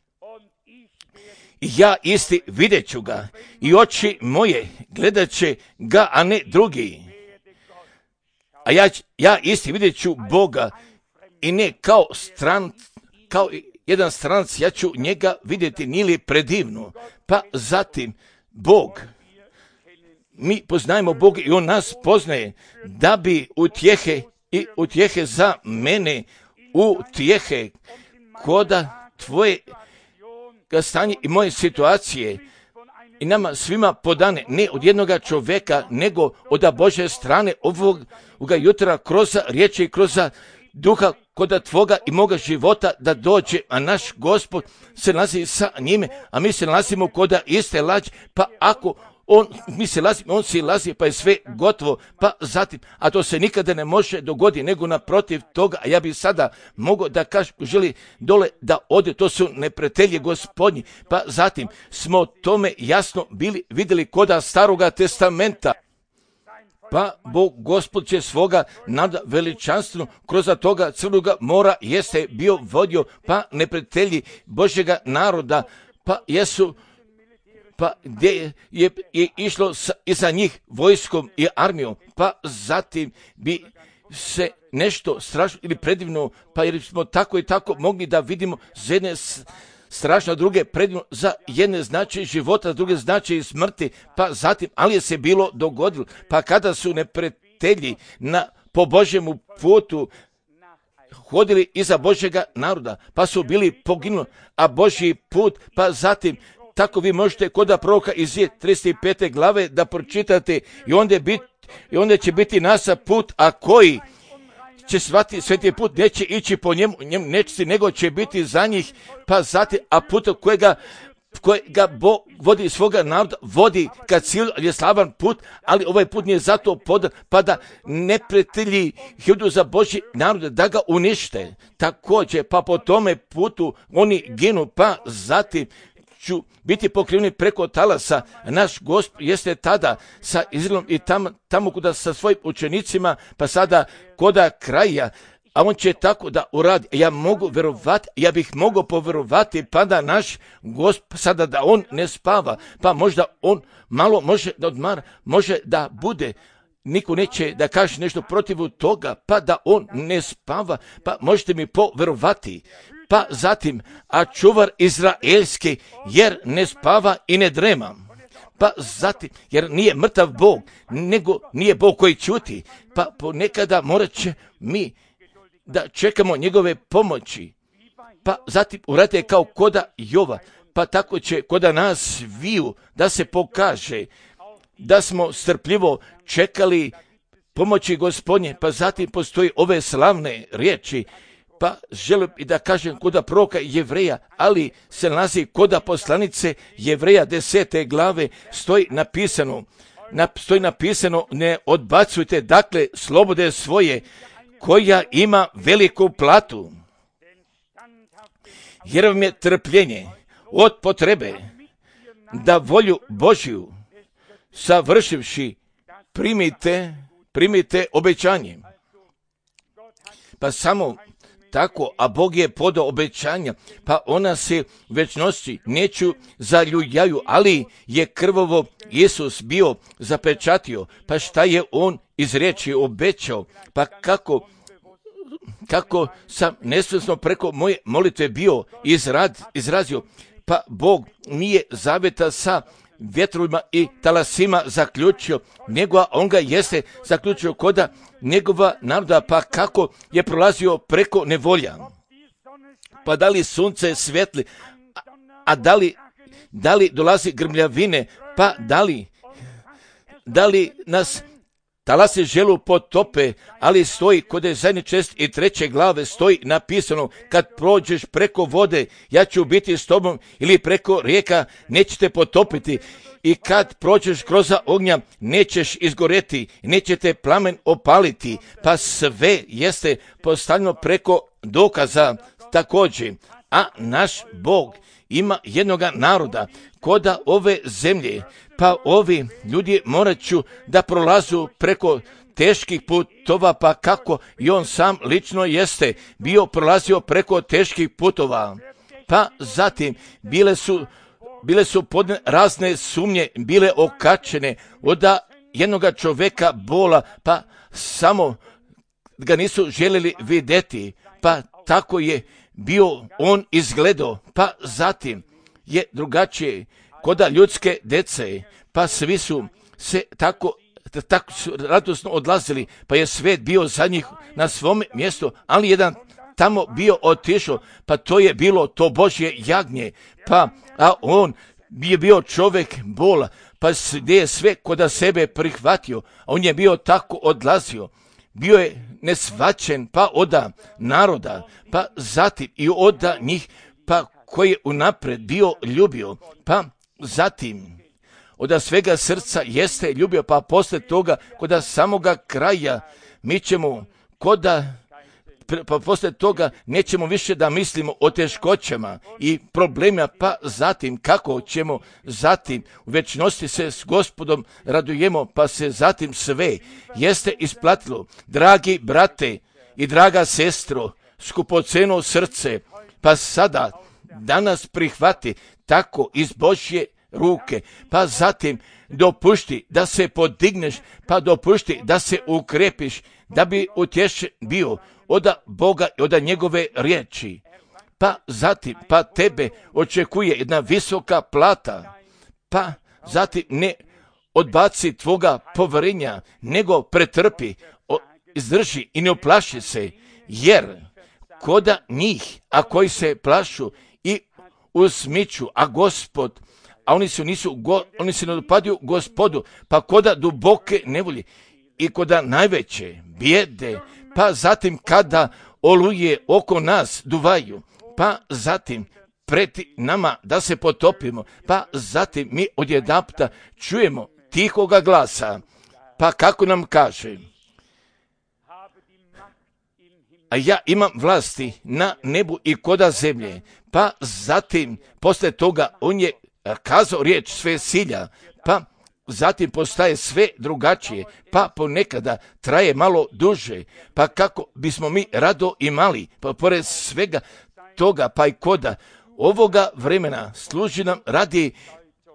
I ja isti vidjet ću ga i oči moje gledat će ga, a ne drugi. A ja, ja isti vidjet ću Boga i ne kao stran, kao jedan stranac, ja ću njega vidjeti, nije li predivno. Pa zatim Bog, mi poznajemo Boga i on nas poznaje da bi utjehe i utjehe za mene, utjehe koda tvoje stanje i moje situacije i nama svima podane, ne od jednoga čovjeka, nego od Božje strane ovog, ovoga jutra kroz riječi i kroz duha koda tvoga i moga života da dođe, a naš Gospod se nalazi sa njime, a mi se nalazimo koda iste lađe, pa ako on, mi se lazimo, on se lazi, pa je sve gotovo, pa zatim, a to se nikada ne može dogoditi, nego naprotiv toga, a ja bi sada mogao da kažem, želi dole da ode, to su neprijatelji Gospodnji, pa zatim smo tome jasno bili vidjeli koda Staroga testamenta. Pa Bog Gospod će svoga nada veličanstveno kroz toga crnoga mora jeste bio vodio, pa neprijatelji Božjega naroda, pa jesu pa gdje je, je išlo sa, iza njih vojskom i armijom, pa zatim bi se nešto strašno ili predivno, pa jer smo tako i tako mogli da vidimo za jedne strašno, druge predivno, za jedne znači života, za druge znači smrti, pa zatim, ali je se bilo dogodilo, pa kada su neprijatelji na, po Božjemu putu hodili iza Božjega naroda, pa su bili poginuli, a Božji put, pa zatim tako vi možete kod proroka Izije trideset pete glave da pročitate i onda, bit, i onda će biti nasa put, a koji će shvatiti sveti put, neće ići po njemu, njemu neće, nego će biti za njih, pa zatim, a put kojega kojega Bog vodi svoga naroda, vodi ka cilju, je slavan put, ali ovaj put nije zato podan, pa da neprijatelji idu za Božji narod, da ga unište. Također, pa po tome putu oni ginu, pa zatim ću biti pokriveni preko talasa. Naš Gospod jeste tada sa Izraelom i tamo, tamo kuda sa svojim učenicima, pa sada koda kraja, a on će tako da uradi. Ja mogu verovati, ja bih mogao poverovati, pa da naš Gospod sada da on ne spava, pa možda on malo može da odmara, može da bude, niko neće da kaže nešto protiv toga, pa da on ne spava, pa možete mi poverovati. Pa zatim, a čuvar izraelski, jer ne spava i ne drema. Pa zatim, jer nije mrtav Bog, nego nije Bog koji ćuti, pa ponekada morat će mi da čekamo njegove pomoći. Pa zatim uradite kao koda Jova, pa tako će koda nas viju da se pokaže da smo strpljivo čekali pomoći Gospodnje, pa zatim postoji ove slavne riječi, pa želim i da kažem koda proroka Jevreja, ali se nalazi koda poslanice Jevreja desete glave, stoji napisano, na, stoji napisano, ne odbacujte dakle slobode svoje, koja ima veliku platu, jer vam je trpljenje od potrebe da volju Božju savršivši primite, primite obećanje. Pa samo tako, a Bog je podao obećanja, pa ona se u večnosti neću zaljujaju, ali je krvovo Isus bio zapečatio, pa šta je on iz riječi obećao, pa kako kako sam nesvjesno preko moje molitve bio izrad, izrazio, pa Bog nije zaveta sa vjetrovima i talasima zaključio, nego on ga jeste zaključio koda njegova naroda, pa kako je prolazio preko nevolja. Pa da li sunce svetli, a, a da li, da li dolazi grmljavine, pa da li, da li nas talasi želu potope, ali stoji kod je zadnje čest i treće glave stoji napisano, kad prođeš preko vode, ja ću biti s tobom, ili preko rijeka, nećete potopiti, i kad prođeš kroz ognja, nećeš izgoreti, nećete plamen opaliti, pa sve jeste postavljeno preko dokaza također. A naš Bog ima jednoga naroda koda ove zemlje, pa ovi ljudi morat ću da prolazu preko teških putova, pa kako i on sam lično jeste bio prolazio preko teških putova. Pa zatim bile su, bile su podne razne sumnje, bile okačene od jednoga čoveka bola, pa samo ga nisu željeli vidjeti, pa tako je bio on izgledao, pa zatim je drugačije koda ljudske dece, pa svi su se tako, tako su radosno odlazili, pa je svet bio za njih na svom mjestu, ali jedan tamo bio otišao, pa to je bilo to Božje jagnje, pa a on je bio čovjek bola, pa gdje je sve koda sebe prihvatio, a on je bio tako odlazio, bio je nesvaćen, pa oda naroda, pa zatim i oda njih, pa koji je unapred bio ljubio, pa zatim oda svega srca jeste ljubio, pa posle toga koda samoga kraja mi ćemo koda, pa posle toga nećemo više da mislimo o teškoćama i problemima, pa zatim kako ćemo zatim u večnosti se s Gospodom radujemo, pa se zatim sve jeste isplatilo. Dragi brate i draga sestro, skupoceno srce, pa sada danas prihvati tako iz Božje ruke, pa zatim dopušti da se podigneš, pa dopušti da se ukrepiš, da bi utješen bio od Boga i od njegove riječi. Pa zatim, pa tebe očekuje jedna visoka plata, pa zatim ne odbaci tvoga poverenja, nego pretrpi, izdrži i ne uplaši se, jer koda njih, a koji se plašu i usmiću, a Gospod, a oni se nisu, go, oni se ne dopadaju Gospodu, pa koda duboke nevolje i koda najveće bijede, pa zatim kada oluje oko nas duvaju, pa zatim preti nama da se potopimo, pa zatim mi odjedanputa čujemo tihoga glasa, pa kako nam kaže, a ja imam vlasti na nebu i koda zemlje, pa zatim posle toga on je kazao riječ sve silja, pa zatim postaje sve drugačije, pa ponekada traje malo duže, pa kako bismo mi rado imali, pa pored svega toga, pa i koda ovoga vremena služi nam radi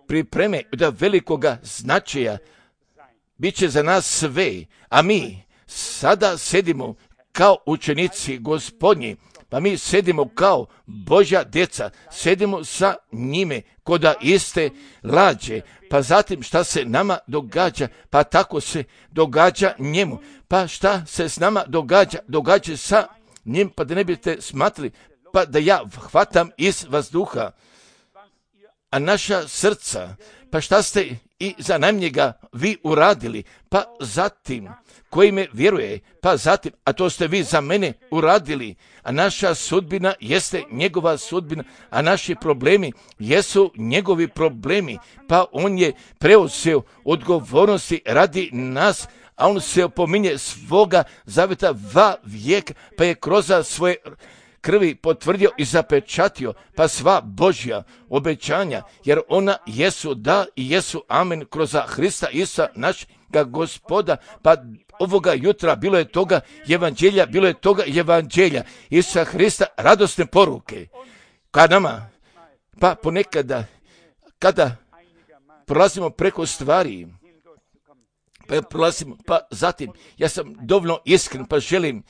pripreme da velikoga značaja, bit će za nas sve, a mi sada sedimo kao učenici Gospodnji, pa mi sedimo kao Božja djeca, sedimo sa njime koda iste lađe, pa zatim šta se nama događa, pa tako se događa njemu, pa šta se s nama događa, događa sa njim, pa da ne biste smatrali, pa da ja hvatam iz vazduha, a naša srca, pa šta ste i za najmnjega vi uradili, pa zatim koji me vjeruje, pa zatim, a to ste vi za mene uradili, a naša sudbina jeste njegova sudbina, a naši problemi jesu njegovi problemi, pa on je preuzeo odgovornosti radi nas, a on se opominje svoga zaveta va vijeka, pa je kroz svoje krvi potvrdio i zapečatio, pa sva Božja obećanja, jer ona jesu da i jesu amen kroz Hrista Isusa našega Gospoda, pa ovoga jutra bilo je toga evanđelja, bilo je toga evanđelja Isusa Hrista, radosne poruke ka nama, pa ponekada kada prolazimo preko stvari, pa prolazimo, pa zatim ja sam dovoljno iskren, pa želim,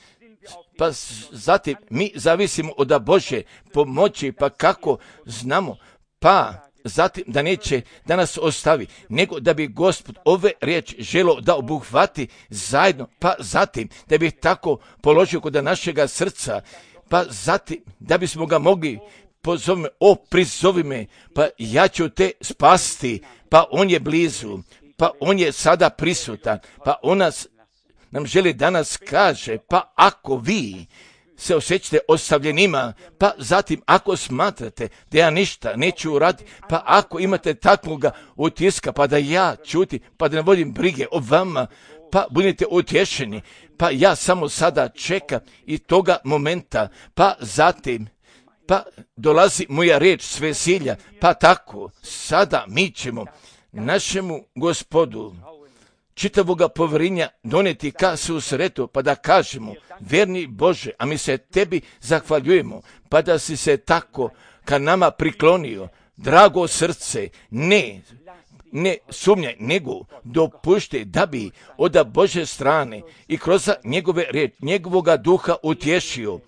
pa zatim mi zavisimo od Božje pomoći, pa kako znamo, pa zatim da neće da nas ostavi, nego da bi Gospod ove riječi želo da obuhvati zajedno, pa zatim da bi tako položio kod našega srca, pa zatim da bismo ga mogli pozovime, o prizovi me, pa ja ću te spasti, pa on je blizu, pa on je sada prisutan, pa on nas nam želi danas kaže, pa ako vi se osjećate ostavljenima, pa zatim ako smatrate da ja ništa neću uraditi, pa ako imate takvoga utiska, pa da ja čuti, pa da ne vodim brige o vama, pa budete utješeni, pa ja samo sada čekam i toga momenta, pa zatim, pa dolazi moja riječ sve silja, pa tako sada mi ćemo našemu Gospodu čitavoga povjerenja doneti ka susretu, pa da kažemo, verni Bože, a mi se tebi zahvaljujemo, pa da si se tako ka nama priklonio, drago srce, ne, ne sumnjaj, nego dopušti da bi od Bože strane i kroz njegove riječi, njegovoga duha utješio,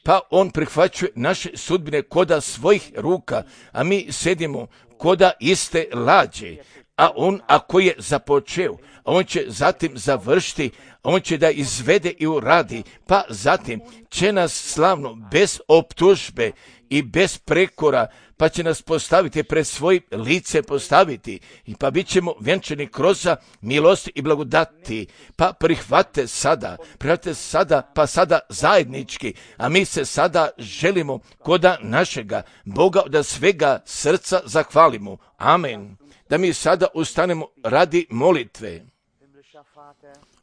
pa on prihvaćuje naše sudbine koda svojih ruka, a mi sedimo koda iste lađe, a on ako je započeo, on će zatim završiti, on će da izvede i uradi, pa zatim će nas slavno, bez optužbe i bez prekora, pa će nas postaviti pred svojim lice postaviti, i pa bit ćemo vjenčani kroz milosti i blagodati, pa prihvate sada, prihvate sada, pa sada zajednički, a mi se sada želimo koda našega Boga da svega srca zahvalimo. Amen. Da mi sada ustanemo radi molitve.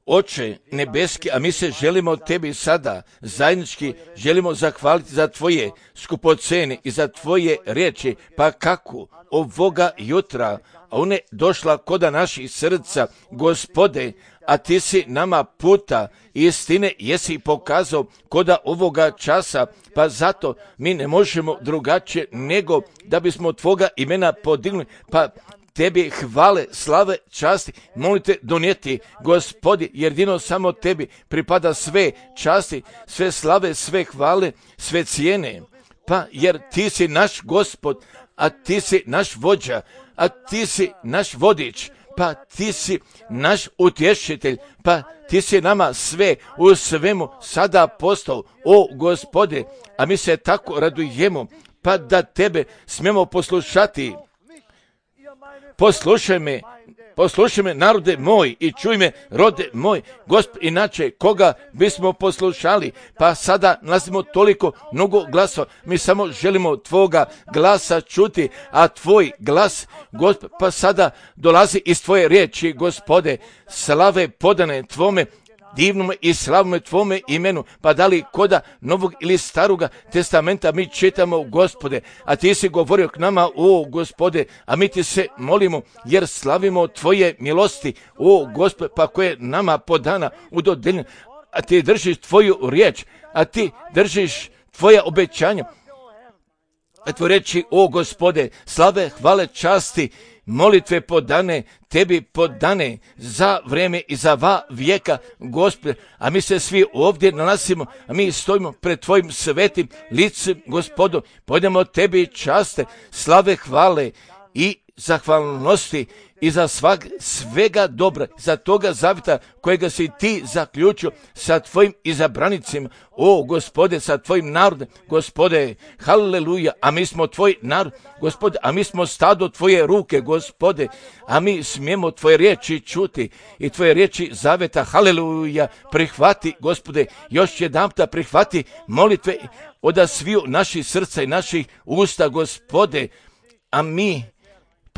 Oče nebeski, a mi se želimo tebi sada zajednički želimo zahvaliti za tvoje skupocene i za tvoje riječi, pa kako ovoga jutra ona je došla koda naših srca, Gospode, a ti si nama puta istine jesi pokazao koda ovoga časa, pa zato mi ne možemo drugačije nego da bismo tvoga imena podigli, pa tebi hvale, slave, časti, molite donijeti, Gospodi, jer jedino samo tebi pripada sve časti, sve slave, sve hvale, sve cijene, pa jer ti si naš Gospod, a ti si naš vođa, a ti si naš vodič, pa ti si naš utješitelj, pa ti si nama sve u svemu sada postao, o Gospode, a mi se tako radujemo, pa da tebe smijemo poslušati. Poslušaj me, poslušaj me, narode moj, i čuj me, rode moj, Gospod, inače koga bismo poslušali, pa sada nalazimo toliko mnogo glasova, mi samo želimo tvoga glasa čuti, a tvoj glas, Gospod, pa sada dolazi iz tvoje riječi, Gospode, slave podane tvome divnome i slavnome tvome imenu, pa da li koda novog ili staroga testamenta mi čitamo, Gospode, a ti si govorio k nama, o Gospode, a mi ti se molimo, jer slavimo tvoje milosti, o Gospode, pa koje nama podana u dodeljenju, a ti držiš tvoju riječ, a ti držiš tvoja obećanja, a tvoje reči, o Gospode, slave, hvale, časti, molitve podane, tebi podane za vreme i za va vijeka, Gospode, a mi se svi ovdje nalazimo, a mi stojimo pred tvojim svetim licem, Gospodu, pojdemo tebi časte, slave, hvale i zahvalnosti i za svag, svega dobra, za toga zavjeta kojega si ti zaključio sa tvojim izabranicima, o Gospode, sa tvojim narodom, Gospode, haleluja, a mi smo tvoj narod, Gospode, a mi smo stado tvoje ruke, Gospode, a mi smijemo tvoje riječi čuti i tvoje riječi zavjeta, haleluja, prihvati, Gospode, još jedanputa prihvati molitve od sviju naših srca i naših usta, Gospode, a mi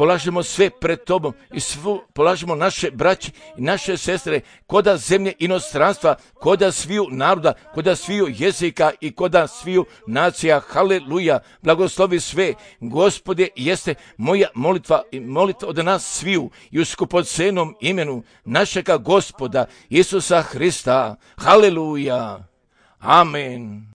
polažemo sve pred tobom i svu, polažemo naše braće i naše sestre koda zemlje inostranstva, koda sviju naroda, koda sviju jezika i koda sviju nacija. Haleluja, blagoslovi sve. Gospode, jeste moja molitva i molitva od nas sviju i u skupocenom imenu našega Gospoda Isusa Hrista. Haleluja. Amen.